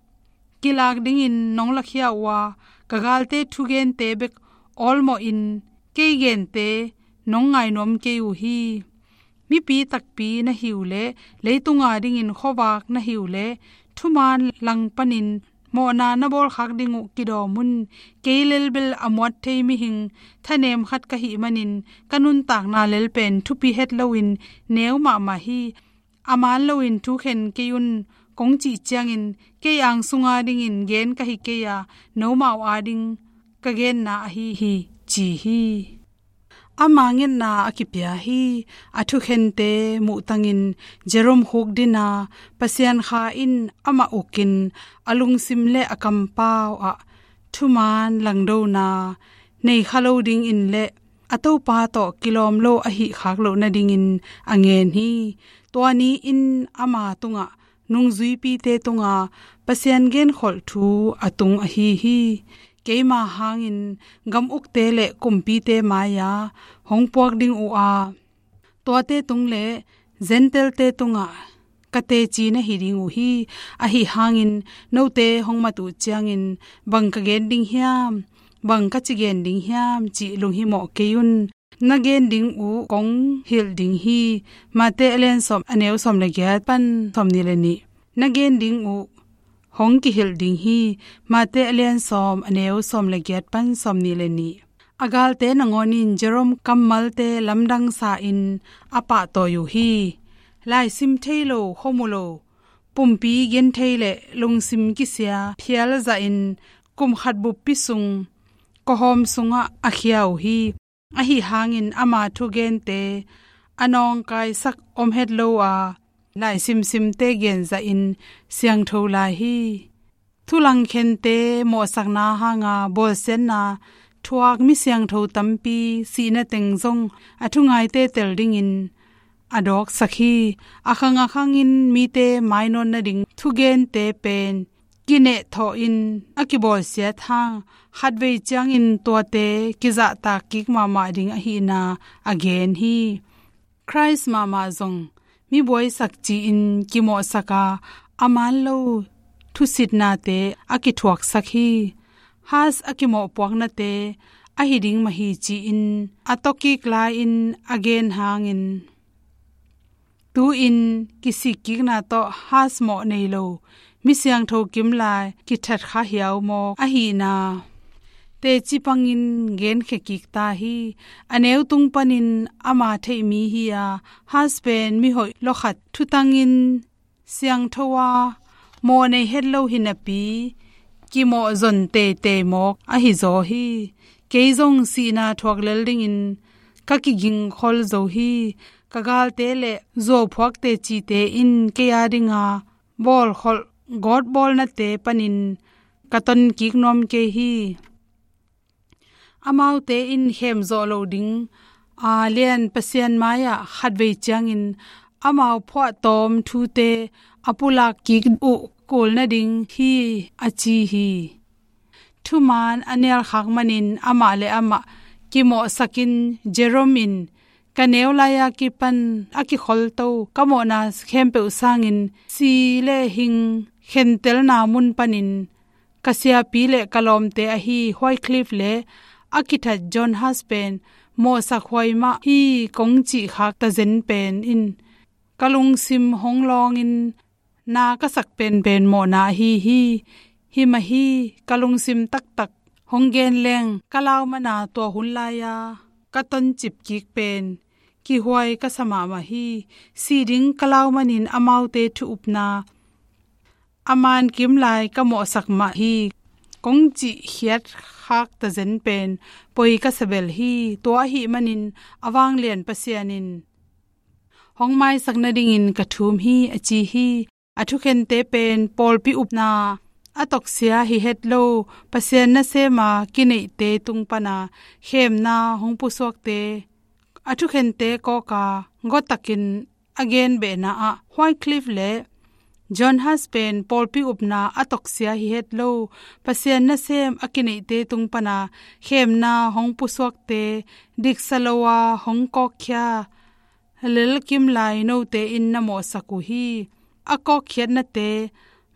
kilak dingin nong lakhia uh a, ka galte thugente bek awlmawhin kei gente nong ngainuam kei uh hi. Mipi takpi na hi uh leh, leitunga dingin khuavak na hi uh leh, thuman lang panin Mawhna na bawlkhak ding uh kidawm un. Kei lelbel a muat thei mihing thanem khat ka hih manin ka nuntakna lel pen thupi het loin neu mahmah hi. A man loin thu khen kei un kong cih ciangin kei ang sunga dingin gen ka hi kei a, nomau ading ka genna ahi hi, ci hi. Ama ngetna a kipia hi. A thukhente muhtangin Jerome khukdina Pasian kha in amah ukin a lungsim le a kampau ah thuman langdona nei kha lo dingin le a Topa tawh kilawm lo ahih khak loh nadingin a ngen hi. Tua ni-in ama tungah nungzuipite tunga Pasian genkholh thu a tung ahi hi. Keima hangin gam ukte le kumpite mai-a hong puak ding uh a, tuate tung le Gentile-te tungah ka teci na hi ding uh hi. Ahi hangin note hong mat uh ciangin bang ka gen ding hiam, bang ka ci gen ding hiam cih lunghimawh kei un. Na gen ding uh kong hilh ding hi. Mate a lian sawm a neu sawm le giat pan sawm nih le nih. Na gen ding uh hong kihilh ding hi. Mate a lian sawm a neu sawm le giat pan sawm nih le nih. A galte nangawnin Jerome kammalte lamdang sa-in a pahtawi uh hi. Laisim thei lo, khuamu lo, pumpi gen thei le lungsim kisia phial zahin kum khat buppi sung kawhawm sungah a khia uh hi. Ahi hangin ama thugente a nawngkaisak om het lo a, laisimsimte genzahin siangtho lai hi. Thulangkhente mawhsakna hanga bawlsiatna thuak mi siangtho tampi sihna teng zong a thungaite tel dingin a dawksak hi. A khang a khangin mite mainawt nading thugente pen kinehthawhin a kibawlsiat hang khatvei ciangin tuate kizahtak kik mahmah ding ahihna a gen hi. Khrist mahmah zong mi buaisak ci-in kimawhsak a, a man lo thusitnate a kithuaksak hi. Hus a kimawhpuaknate ahi ding mah hi ci-in a tawkik lai-in a gen hangin, tu-in kisikkikna tawh Hus mawh nei lo mi siangtho kim lai kithat kha hiau mawk ahihna teci pangin genkhia kik ta hi. A neu tung panin ama theih mi hi a, Hus pen mihoih lawkhat thutangin siangtho a, mawh nei het lo hi napi kimawh zon teitei mawk ahi zaw hi. Kei zong sihna thuak lel dingin ka kigingkhol zo hi. Ka galte le zuauphuak tecite in kei a dinga bawlkholh gawtbawlnate panin ka tonkik nuam kei hi. Amaute in khemzawh loh ding a lian Pasian mai-ah khatvei ciangin amau phuahtawm thute a pulak kik uh kul nading hi, a ci hi. Thuman a nialkhak manin amah le amah kimawhsakin Jerome in ka neu lai-a kipan a kikholto ka mawhna khempeuh sangin si le hing khentelna mun panin ka siapi le ka lawmte ahi Wycliffe le a kithat John Hus pen mawhsak huai mah hi kong cih khak tazen pen in ka lungsim hong lawngin na ka sak penpen mawhna ahi hi. Hi mah hi, ka lungsim taktak hong gen leng ka lau mana tua hun lai-a ka toncip kik pen kihuai ka sa mahmah hi. Si ding ka lau manin amaute thu upna a man kim lai ka mawhsak mah hi kong cih khiat khak tazen pen poi ka sa bel hi. Tua ahih manin a vanglian Pasian in hong maisak nadingin ka thum hi, a ci hi. A thukhente pen pawlpi upna a toksia hi het lo Pasian nasema kineihte tung pana khemna hong pusuakte a thukhente kawka gawtakin a genbehna ah Wycliffe le John Hus pen pawlpi upna a toksia hi het lo Pasian nasem a kineihte tung pana khemna hong pusuakte diksa lo a hong kawkkhia lel kim lai note in na mawhsak uh hi. A kawkkhiatnate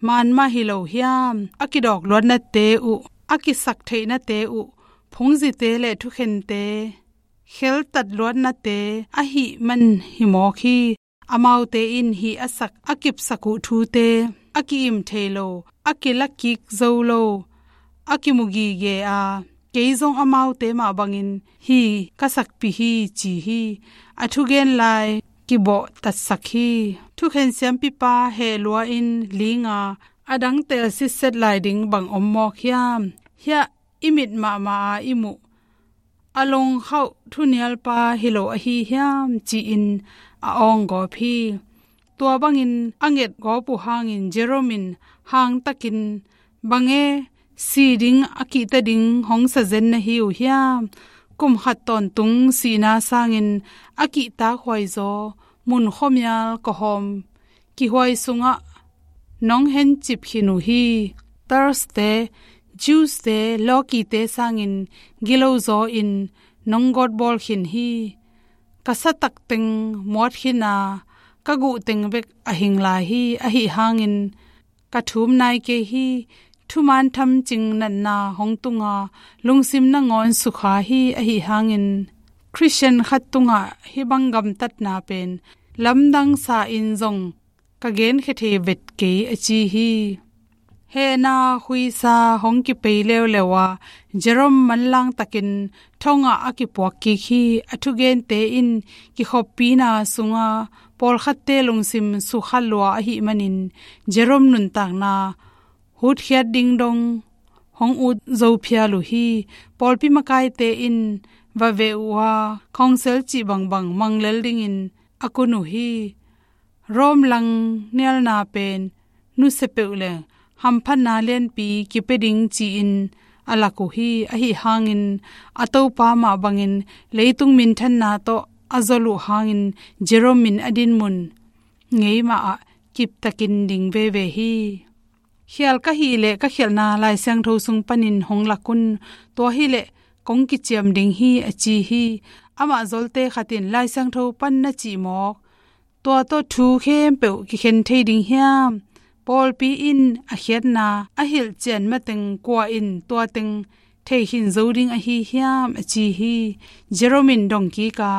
man mah hi lo hiam? A kidawk luatnate uh, a kisak theihnate uh, phungzite le thukhente kheltat luatnate ahih man hi mawk hi. Amaute in hih a sak a kipsak uh thute a ki-im thei lo a kila kik zo lo, a kimu gige a, kei zong amaute mah bangin hi ka sakpih hi ci hi. A thugen lai kibawh tatsak hi. Thukhen siampipa heh lua-in linga a dang tel sitset lai ding bang om mawk hiam? Hiah i mit mahmah a i muh a longkhauh thunialpa hi lo ahi hiam ci-in a awng gawp hi. Tua bangin a nget gawp uh hangin Jerome in hangtakin, "Bang e, si ding a kihta ding hong sa zen na hi uh hiam? Kum khat tawntung sihna sangin a kihtak huaizaw mun khuamial kawhawm kihuai sungah nong hencip khin uh hi. Thursday, Jews te, lawkite sangin gilo zaw in nong gawtbawl khin hi. Ka satak teng muat khin a, ka guh teng bek a hing lai hi. Ahi hangin ka thum nai kei hi. Thuman thamcing natna hong tunga, lungsim nangawn sukha hi. Ahi hangin Khristian khat tungah hih bang gamtatna pen lamdang sa in zong ka genkhia thei vet kei," a ci hi. Hehna khuisa hong kipei leuleu a, Jerome manlang takin thongah a kipuak kik hi. A thugente in kikhoppina sunga pawlkhatte lungsim sukha lua ahih manin Jerome nuntakna hutkhiat ding dong hong ut zo phial uh hi. Pawlpi makaite in va veh uh a, khawngsel cih bangbang mang lel dingin a kun uh hi. Rome langnialna pen nusia peuh leng hamphatna lianpi kipia ding ci-in a lak uh hi. Ahi hangin a Topa mah bangin leitung minthanna tawh a zol uh hangin Jerome in a dinmun ngei mah ah kiptakin ding veve hi. "Khial ka hih leh ka khialhna Lai Siangtho sung panin hong lak un, tua hileh kong kiciam ding hi," a ci hi. Amah zolte khat in, "Lai Siangtho pan na cih mawk tua tawh thu khempeuh kikhen thei ding hiam? Pawlpi in a khiatna a hilh cian mateng kua in tua teng thei khin zo ding ahi hiam?" a ci hi. Jerome in dong kik a,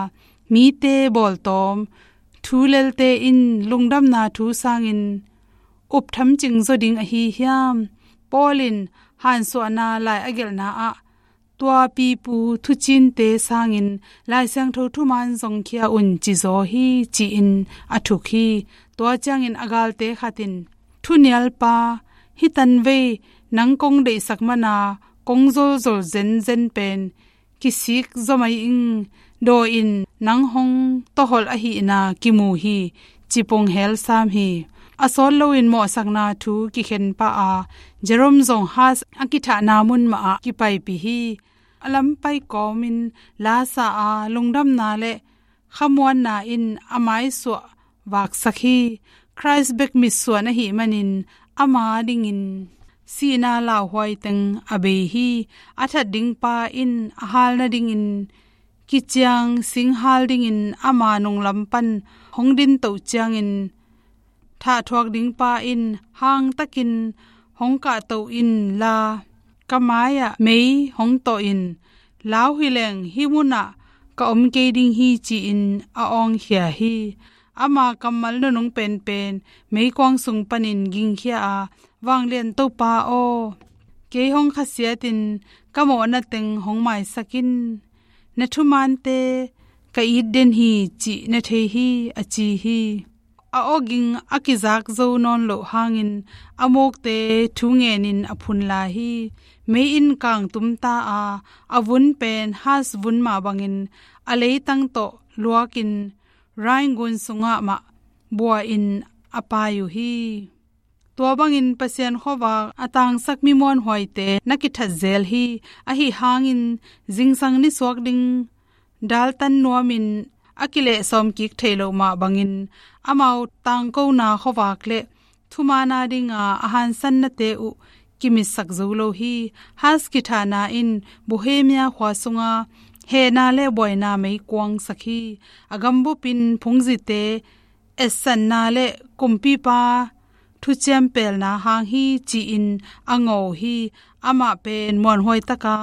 "Mite bawltawm thu lelte in lungdamna thu sangin up thamcing zaw ding ahi hiam? Paul in hansuahna lai a gelhna ah, tua pipu thucinte sangin Lai Siangtho thuman zongkhia un ci zaw hi," ci-in a thuk hi. Tua ciangin a galte khat in, "Thunialpa, hih tanvei nang kong deihsak mana kong zolzol zenzen pen kisik zaw mai ing. Daw in, nang hong tawholh ahihna kimu hi," ci pung hel sam hi. A sawt loin mawhsakna thu kikhen pah a, Jerome zong Hus a kithahna mun mah ah kipaipih hi. A lampai kawmin la sa a, lungdamna le khamuanna in a maisuah vaksak hi. Khrist bek mitsuan ahih manin ama dingin sihna lauhuai teng a bei hi. A that dingpa in a hal nadingin kiciang singhal dingin ama nunglam pan hong dintoh ciangin, thahthuak dingpa in hangtakin hong kahtoh inla, ka mai-ah mei hong tawh in, "Lau hileng hih munah ka om kei ding hi," ci-in a awngkhia hi. Ama kammal nunung penpen meikuang sung panin gingkhia a, "Vanglian Topa aw, kei hong khasiatin ka mawhna teng hong maisak in. Na thumante ka it den hi cih na thei hi," a ci hi. A awging a kizak zo nawn loh hangin a mukte thu ngenin a phun lai hi. Mei in kang tumta a, a vun pen Hus vun mah bangin a leitang tawh luakin Rhine gun sungah mah bua-in a pai uh hi. Tua bangin Pasian khuavak a tangsak mi muanhuaite na kithat zel hi. Ahi hangin zingsang nisuak ding daltan nuamin a kilehsawm kik thei loh mah bangin amau tangkona khuavak le thumaana dinga a hansannate uh kimitsak zo lo hi. Hus kithahna in Bohemia khua sunga hehna le buaina meikuangsak hi. A gambup in phungzite etsanna le kumpipa thuciam pelna hang hi ci-in a ngawh hi. Amah pen muanhuai taka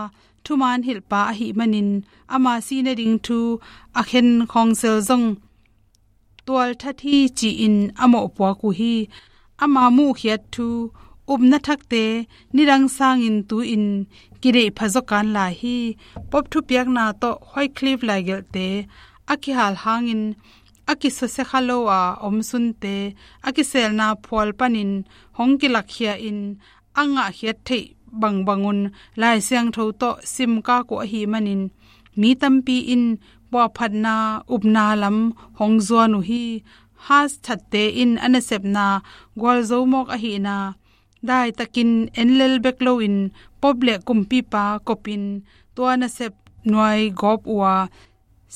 thuman hilhpa ahih manin ama sih nading thu a khen khawngsel zong tualthat hi ci-in a mawhpuak uh hi. Ama muhkhiat thu Upna thakte nidang sangin tu-in kideih pha zaw kan lai hi. Pope thupiakna tawh Wycliffe laigelhte a kihal hangin a kisusia kha lo a omsunte a kiselna phual panin hong kilakkhia-in a ngahkhiat theih bangbangun Lai Siangtho tawh simkak uh ahih manin mi tampi in puahphatna upna lam hong zuan uh hi. Huss thatte in a nasepna gualzo mawk ahihna daitakin en lel bek loin Pope le kumpipa kopin tua nasep nuai gawp uh a,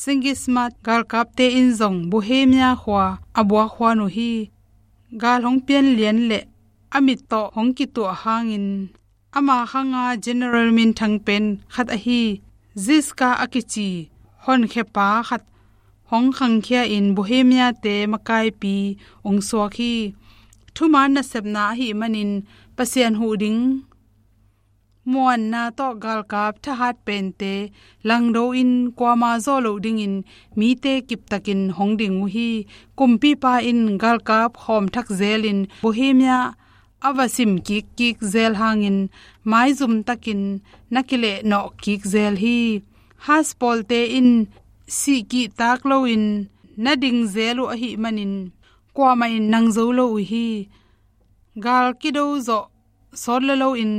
Sigismund galkapte in zong Bohemia khua a buak huan uh hi. Gal hong pian lian le a mit tawh hong kituah hangin ama khanga general minthang pen khat ahi Ziska a kici honkhiapa khat hong khangkhia-in Bohemia-te makaipi hong suak hi. Thuman nasepna ahih manin Pasian huh ding muanna tawh galkap thahat pente langdo-in kuama zawh loh dingin mite kiptakin hong ding uh hi. Kumpipa in galkap khawm thak zelin Bohemia a va sim kikkik zel hangin maizum takin na kileh nawh kik zel hi. Huss pawlte in sih kihtak loin na ding zel uh ahih manin kuamah in nang zo lo uh hi. Gal kido zawh sawt la loin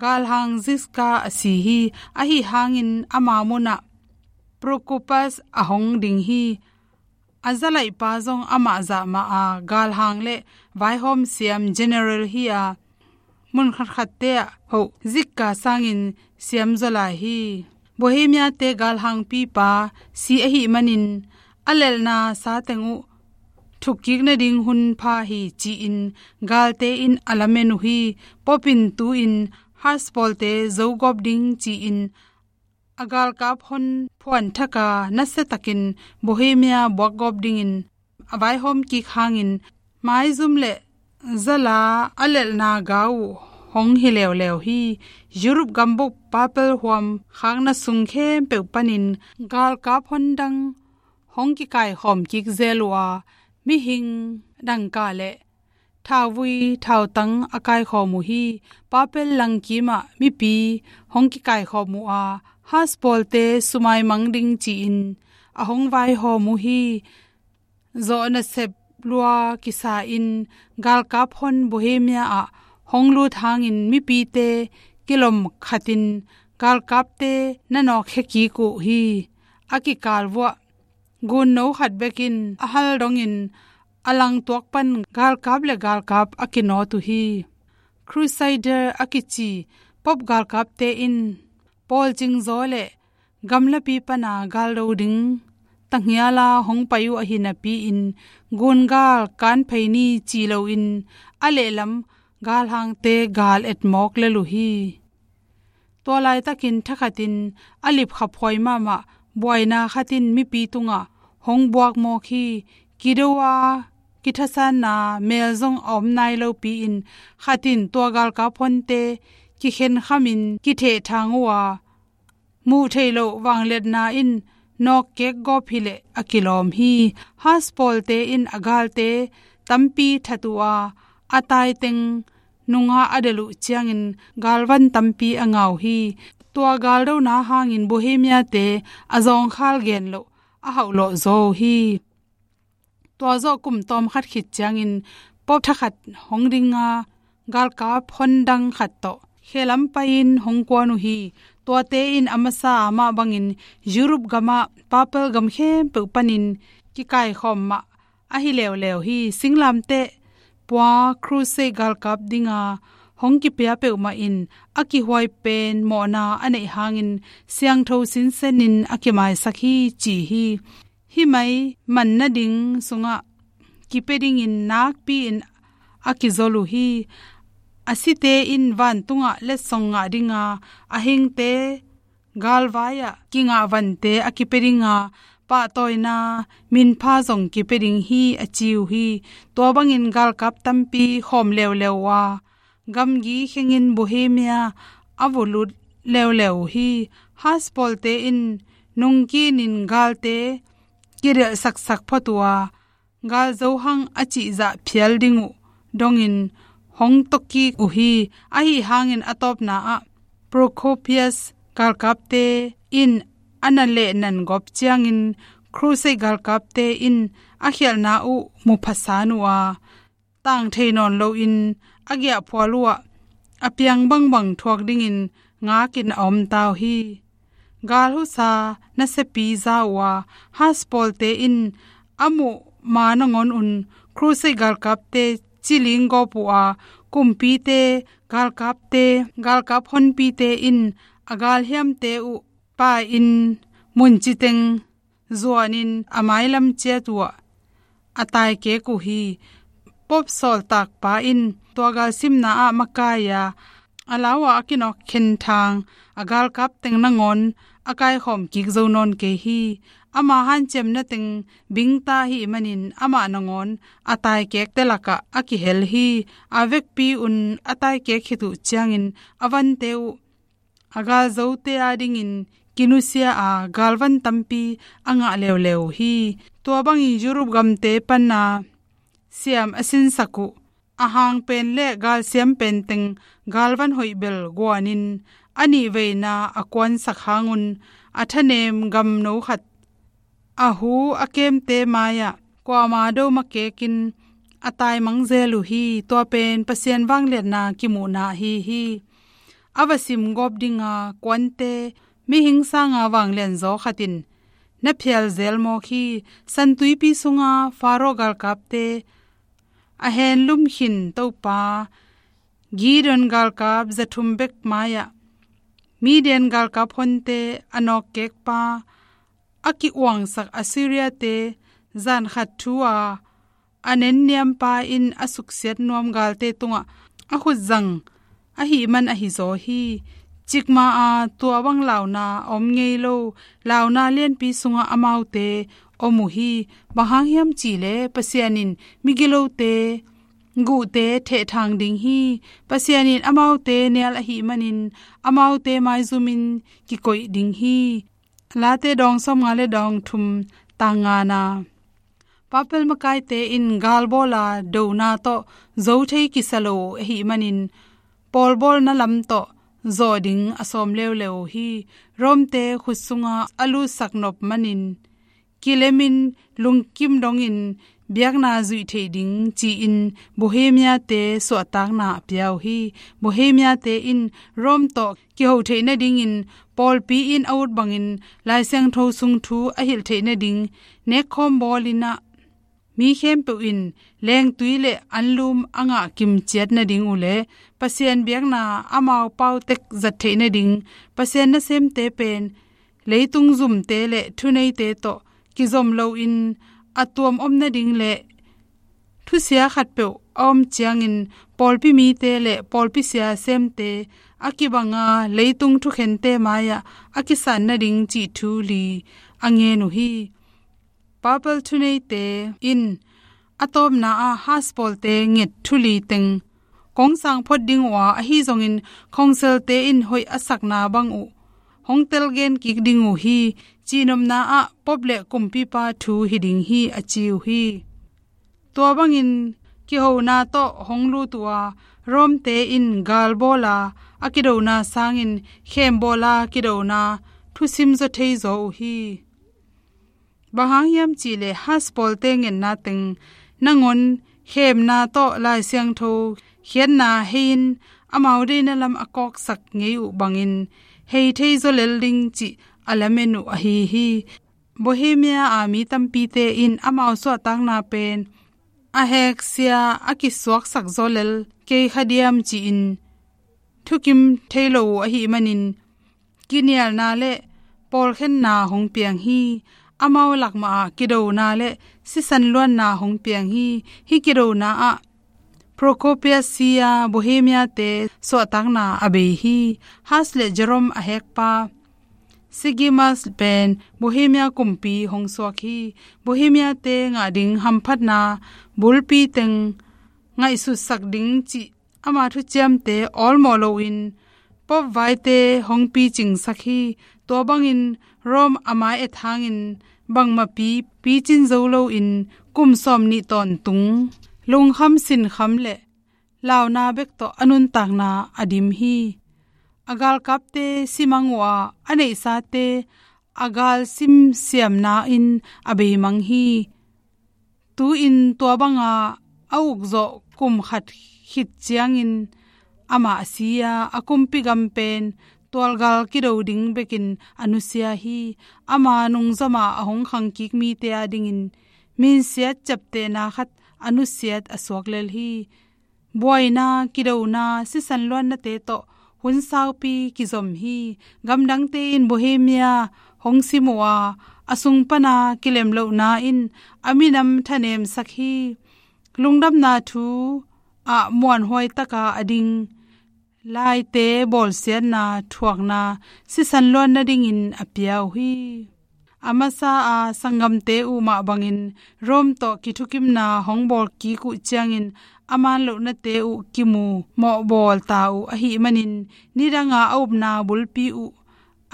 galhang Ziska a si hi. Ahi hangin ama munah Procopius a hong ding hi. A zalaihpa zong amah zah mah a galhang le vaihawm siam general hi a, mun khatkhatte ah hoh Ziska sangin siam zaw lai hi. Bohemia-te galhangpipa si ahih manin a lelhna sa teng uh thukkik nading hun pha hi ci-in galte in a lamen uh hi. Pope in tu-in Huss pawlte zogawp ding ci-in a galkap hon phuan thak a, nasiatakin Bohemia buakgawp dingin a vaihawm kik hangin maizum le zala a lelhna ga uh hong hi leuleu hi. Europe gambup papal huam khakna sung khempeuh panin galkap hondang hong kikaikhawm kik zel uh a, mihing dangka le thauvui thautang a kaikhawm uh hi. Papal langkimah mipi hong kikaikhawm uh a, Huss pawlte sumaimang ding ci-in a hong vaihawm uh hi. Zawh nasep lua kisa-in galkap hon Bohemia ah hong lut hangin mipite kilom khatin galkapte na nawkkhia kik uh hi. A kikal vuah gunno khat bekin a hal dongin a langtuak pan galkap le galkap a kinawt uh hi. Crusader a kici Pope galkapte in pawlcing zaw le gamlapi pana galdo ding tanghiala hong pai uh ahi napi-in gungal kanphei ni ci loin a lehlam galhangte gal etmawk lel uh hi. Tua laitakin thakhatin a lipkhaphuai mahmah buaina khatin mipi tungah hong buakmawk hi. Kido a kithasanna mel zong a om nai lopi-in khatin tua galkap honte kikhenkhamin kithehthang uh a, muh theih loh vangliatna in nawkkek gawp hileh a kilawm hi. Huss pawlte in a galte tampi that uh a, a taiteng nunga a delh uh ciangin galvan tampi a ngah uh hi. Tua galdona hangin Bohemia-te a zawngkhal gen loh a hauhlawh zaw uh hi. Tua zawh kum tawm khat khit ciangin Pope thakhat hong ding a, galkap hondang khat tawh khelam pai-in hong kuan uh hi. Tuate in a masa a mah bangin Europe gamah papal gam khempeuh panin kikaikhawm mah ahi leuleu hi. Singlamteh pua Crusade galkap dinga hong kipia peuhmah in a kihuai pen mawhna a neih hangin siangtho sinsenin a kimaisak hi ci hi. Hih mai man nading sungah kipia dingin nakpi-in a kizol uh hi. A site in vantungah letsong ngah dinga, a hingte galvai-ah kingah vante a kipia dinga, pahtawina minpha zong kipia ding hi a ci uh hi. Tua bangin galkap tampi khawm leuleu uh a, gamgi khengin Bohemia a vulut leuleu uh hi. Huss pawlte in nungkinin galte kidelhsaksak phot uh a, galzo hang a cihzah phial ding uh dongin hong tawkik uh hi. Ahi hangin a tawpna ah Procopius galkapte in a na lehnan gawp ciangin Crusade galkapte in a khialhna uh mu phasan uh a, tang thei nawn loin a giahphual uh ah a piang bangbang thuak dingin ngakin a om ta uh hi. Gal husa nasiapi za uh a, Huss pawlte in a muh ma nangawn un Crusade galkapte ciling gawp uh a, kumpite, galkapte, galkap honpite in a galhiamte uh pai-in mun citeng zuanin a mailam ciat uh ah a taikek uh hi. Pope sawltakpa in tua galsimna ah makai a, a lau ah a kinawk khenthang a galkap teng nangawn a kaikhawm kik zo nawn kei hi. Ama hanciamna teng bingta ahih manin amah nangawn a taikekte lakah a kihel hi. A vekpi un a taikek khit uh ciangin a vante uh a galzote adingin kinusia a, galvan tampi a ngah leuleu uh hi. Tua bangin Europe gamte pana siam a sinsak uh a hang pen le galsiam pen teng galvan hoih bel guanin a nihveina a kuansak hangun a thanem gamno khat a hu a kemte mai-ah kuama do ma kekin a taimang zel uh hi. Tua pen Pasian vangliatna kimuhna ahi hi. A va sim gawp dinga kuante mihing sanga vanglian zaw khat in na phial zel mawk hi. Santuipi sunga Faro galkapte a henlum khin Topa Gideon galkap zathum bek mai-ah Midian galkap honte a nawkkekpa a ki-uangsak Assyriate zan khat thu a a nenniampa in a suksiat nuam galte tungah a khutzang ahih man ahi zaw hi. Cikmah a tua bang launa a om ngei lo, launa lianpi sungah amaute om uh hi. Bang hang hiam cihleh Pasian in migilote guhte thehthang ding hi. Pasian in amaute nial ahih manin amaute maizumin kikoih ding hi. Late dawng sawmnga le dawng thum tang ngana. Papal makaite in galbawla dona tawh zo thei kisa lo ahih manin pawlbawlna lam tawh zawh ding a sawm leuleu uh hi. Romte khut sunga a lutsak nop manin kilemin lungkim dongin biakna zuih theih ding ci-in Bohemiate suahtakna a pia uh hi. Bohemiate in Rome tawh kiho theih nadingin pawlpi in a ut bangin Lai Siangtho sung thu a hilh theih nading nekkhawm bawlin ah mi khempeuh in lengtui le anlum a ngah kimciat nading uh le Pasian biakna amau pautek zat theih nading Pasian nasemte pen leitung zumte le thuneite tawh kizom loin a tuam om nading le thusia khatpeuh a om ciangin pawlpi mite le pawlpi sia semte a kibanga leitung thukhente mai-ah a kisan nading cih thu li a ngen uh hi. Papal thuneite in a tawpna ah Huss pawlte nget thu li teng kong sang phot ding uh a, ahi zongin khongselte in hoih a sakna bang uh hong telgen kik ding uh hi. Cihnopna ah Pope le kumpipa thu hi ding hi a ci uh hi. Tua bangin kihona tawh hong lut uh a, Romte in galbawla a kidona sangin khembawla kidona thusim zaw thei zaw uh hi. Bang hang hiam cihleh Huss pawlte ngetna teng nangawn khemna tawh Lai Siangtho khiatna hei-in amau deina lam a kawksak ngei uh bangin hei thei zaw lel ding cih a lamen uh ahi hi. Bohemia a mi tampite in amau suahtakna pen a heksia a kisuaksak zaw lel kei kha diam ci-in thukim thei lo uh ahih manin kinialna le pawlkhenna hong piang hi. Amau lakmah ah kidona le sisan luanna hong piang hi. Hih kidona ah Procopius sia Bohemiate suahtakna a bei hi. Huss le Jerome a hekpa Sigismund pen Bohemia kumpi hong suak hi. Bohemiate ngah ding hamphatna bulpi teng ngaihsutsak ding cih ama thuciamte awlmawh loin Pope vaite hong picingsak hi. Tua bangin Rome a mai-et hangin bangmahpi picin zo loin kum sawmnih tawntung lungkham sinkham le launa bek tawh a nuntakna a dim hi. A galkapte simang uh a, a neihsate a gal simsiamna in a beimang hi. Tu-in tua banga a ukzawh kum khat khit ciangin amah a si a, a kumpi gam pen tualgal kido ding bekin a nusia hi. Ama nungzama a hong khangkik mite a dingin minsiat ciaptehna khat a nusiat a suak lel hi. Buaina, kidona, sisan luannate tawh hun saupi kizom hi. Gamdangte in Bohemia hong sim uh a, a sung pana kilemlohna in a minam thanemsak hi. Lungdamna thu ah muanhuai taka a ding laite bawlsiatna thuakna sisan luan nadingin a pia uh hi. A masa a sanggamte uh mah bangin Rome tawh kithukimna hong bawlkik uh ciangin a manlohnate uh kimu mawhbawl ta uh ahih manin, nidanga a upna bulpi uh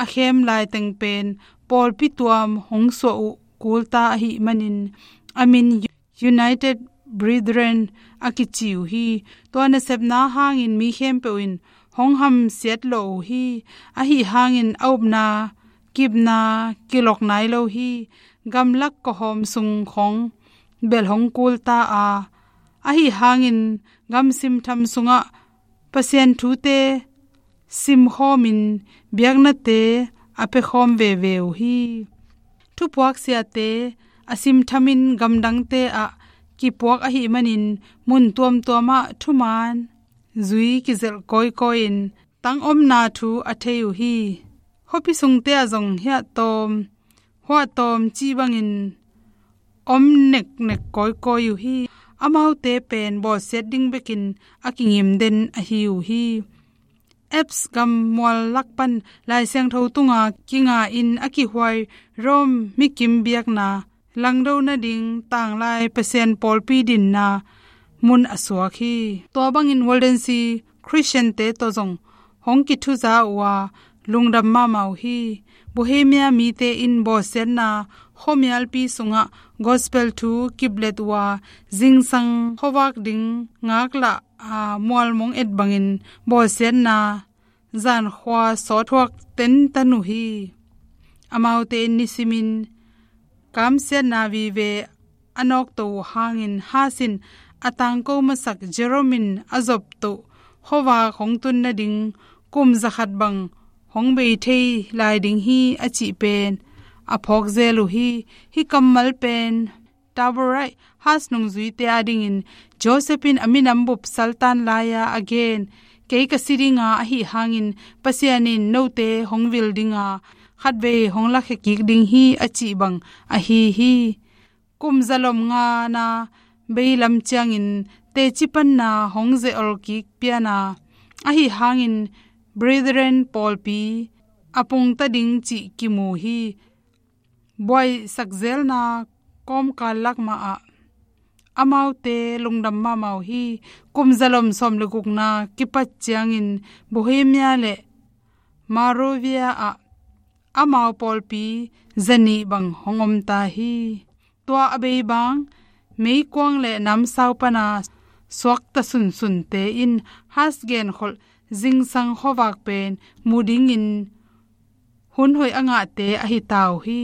a khem laiteng pen pawlpi tuam hong suah uh kulta ahih manin a min United Brethren a kici uh hi. Tua nasepna hangin mi khempeuh in hong hamsiat lawh uh hi. Ahi hangin a upna kipna kilok nai lo hi. Gamlak kawhawm sung khong bel hong kulta a, ahi hangin gamsim tham sungah Pasian thute simkhawmin biaknate a pekhawm veve uh hi. Thupuak siate a simthamin gamdangte ah kipuak ahih manin mun tuamtuamah thuman zui kizelh kawikawi-in tangomna thu a thei uh hi. Khuapi sungte ah zong hiahtawm huahtawm cih bangin om neknek kawikawi uh hi. Amaute pen bawlsiat ding bekin a kingim den ahi uh hi. Alps gam mual lak pan Lai Siangtho tunga kinga in a kihuai Rome mikim biakna langdo nading tanglai Pasian pawlpi dinna mun a suak hi. Tua bangin Waldensi Christian-te tawh zong hong kithuza uh a, lungdam mahmah uh hi. Bohemia mite in bawlsiatna khuamialpi sungah gospel thu kiplet uh a, zingsang khuavak ding ngaklah a, mualmong et bangin bawlsiatna zankhua sawt thuak tentan uh hi. Amaute in nisimin kamsiatna vive a nawkto uh hangin Huss in a tangko masak Jerome in a zoptoh khuavak hong tun nading kum zakhat bang hong bei thei lai ding hi a cih pen a phawk zel uh hi. Hih kammal pen Taberah Huss nungzuite adingin Joseph in a minam bup saltan lai-a a gen, "Kei ka si dinga, ahi hangin Pasian in note hong vil dinga, khatvei hong lakhia kik ding hi," a cih bang ahi hi. Kum zalom ngana beilam ciangin teci panna hong ze-ol kik piana, ahi hangin Brethren pawlpi a pungta ding cih kimu hi. Buaisak zelna kawmkal lak mahah amaute lungdam mahmah uh hi. Kum zalom sawm le gukna kipat ciangin Bohemia le Moravia ah amau pawlpi zanih bang hong omta hi. Tua a bei bang meikuang le namsau pana suakta sunsunte in Huss genkholh zingsang khuavak pen mu dingin hun hoih a ngahte ahi ta uh hi.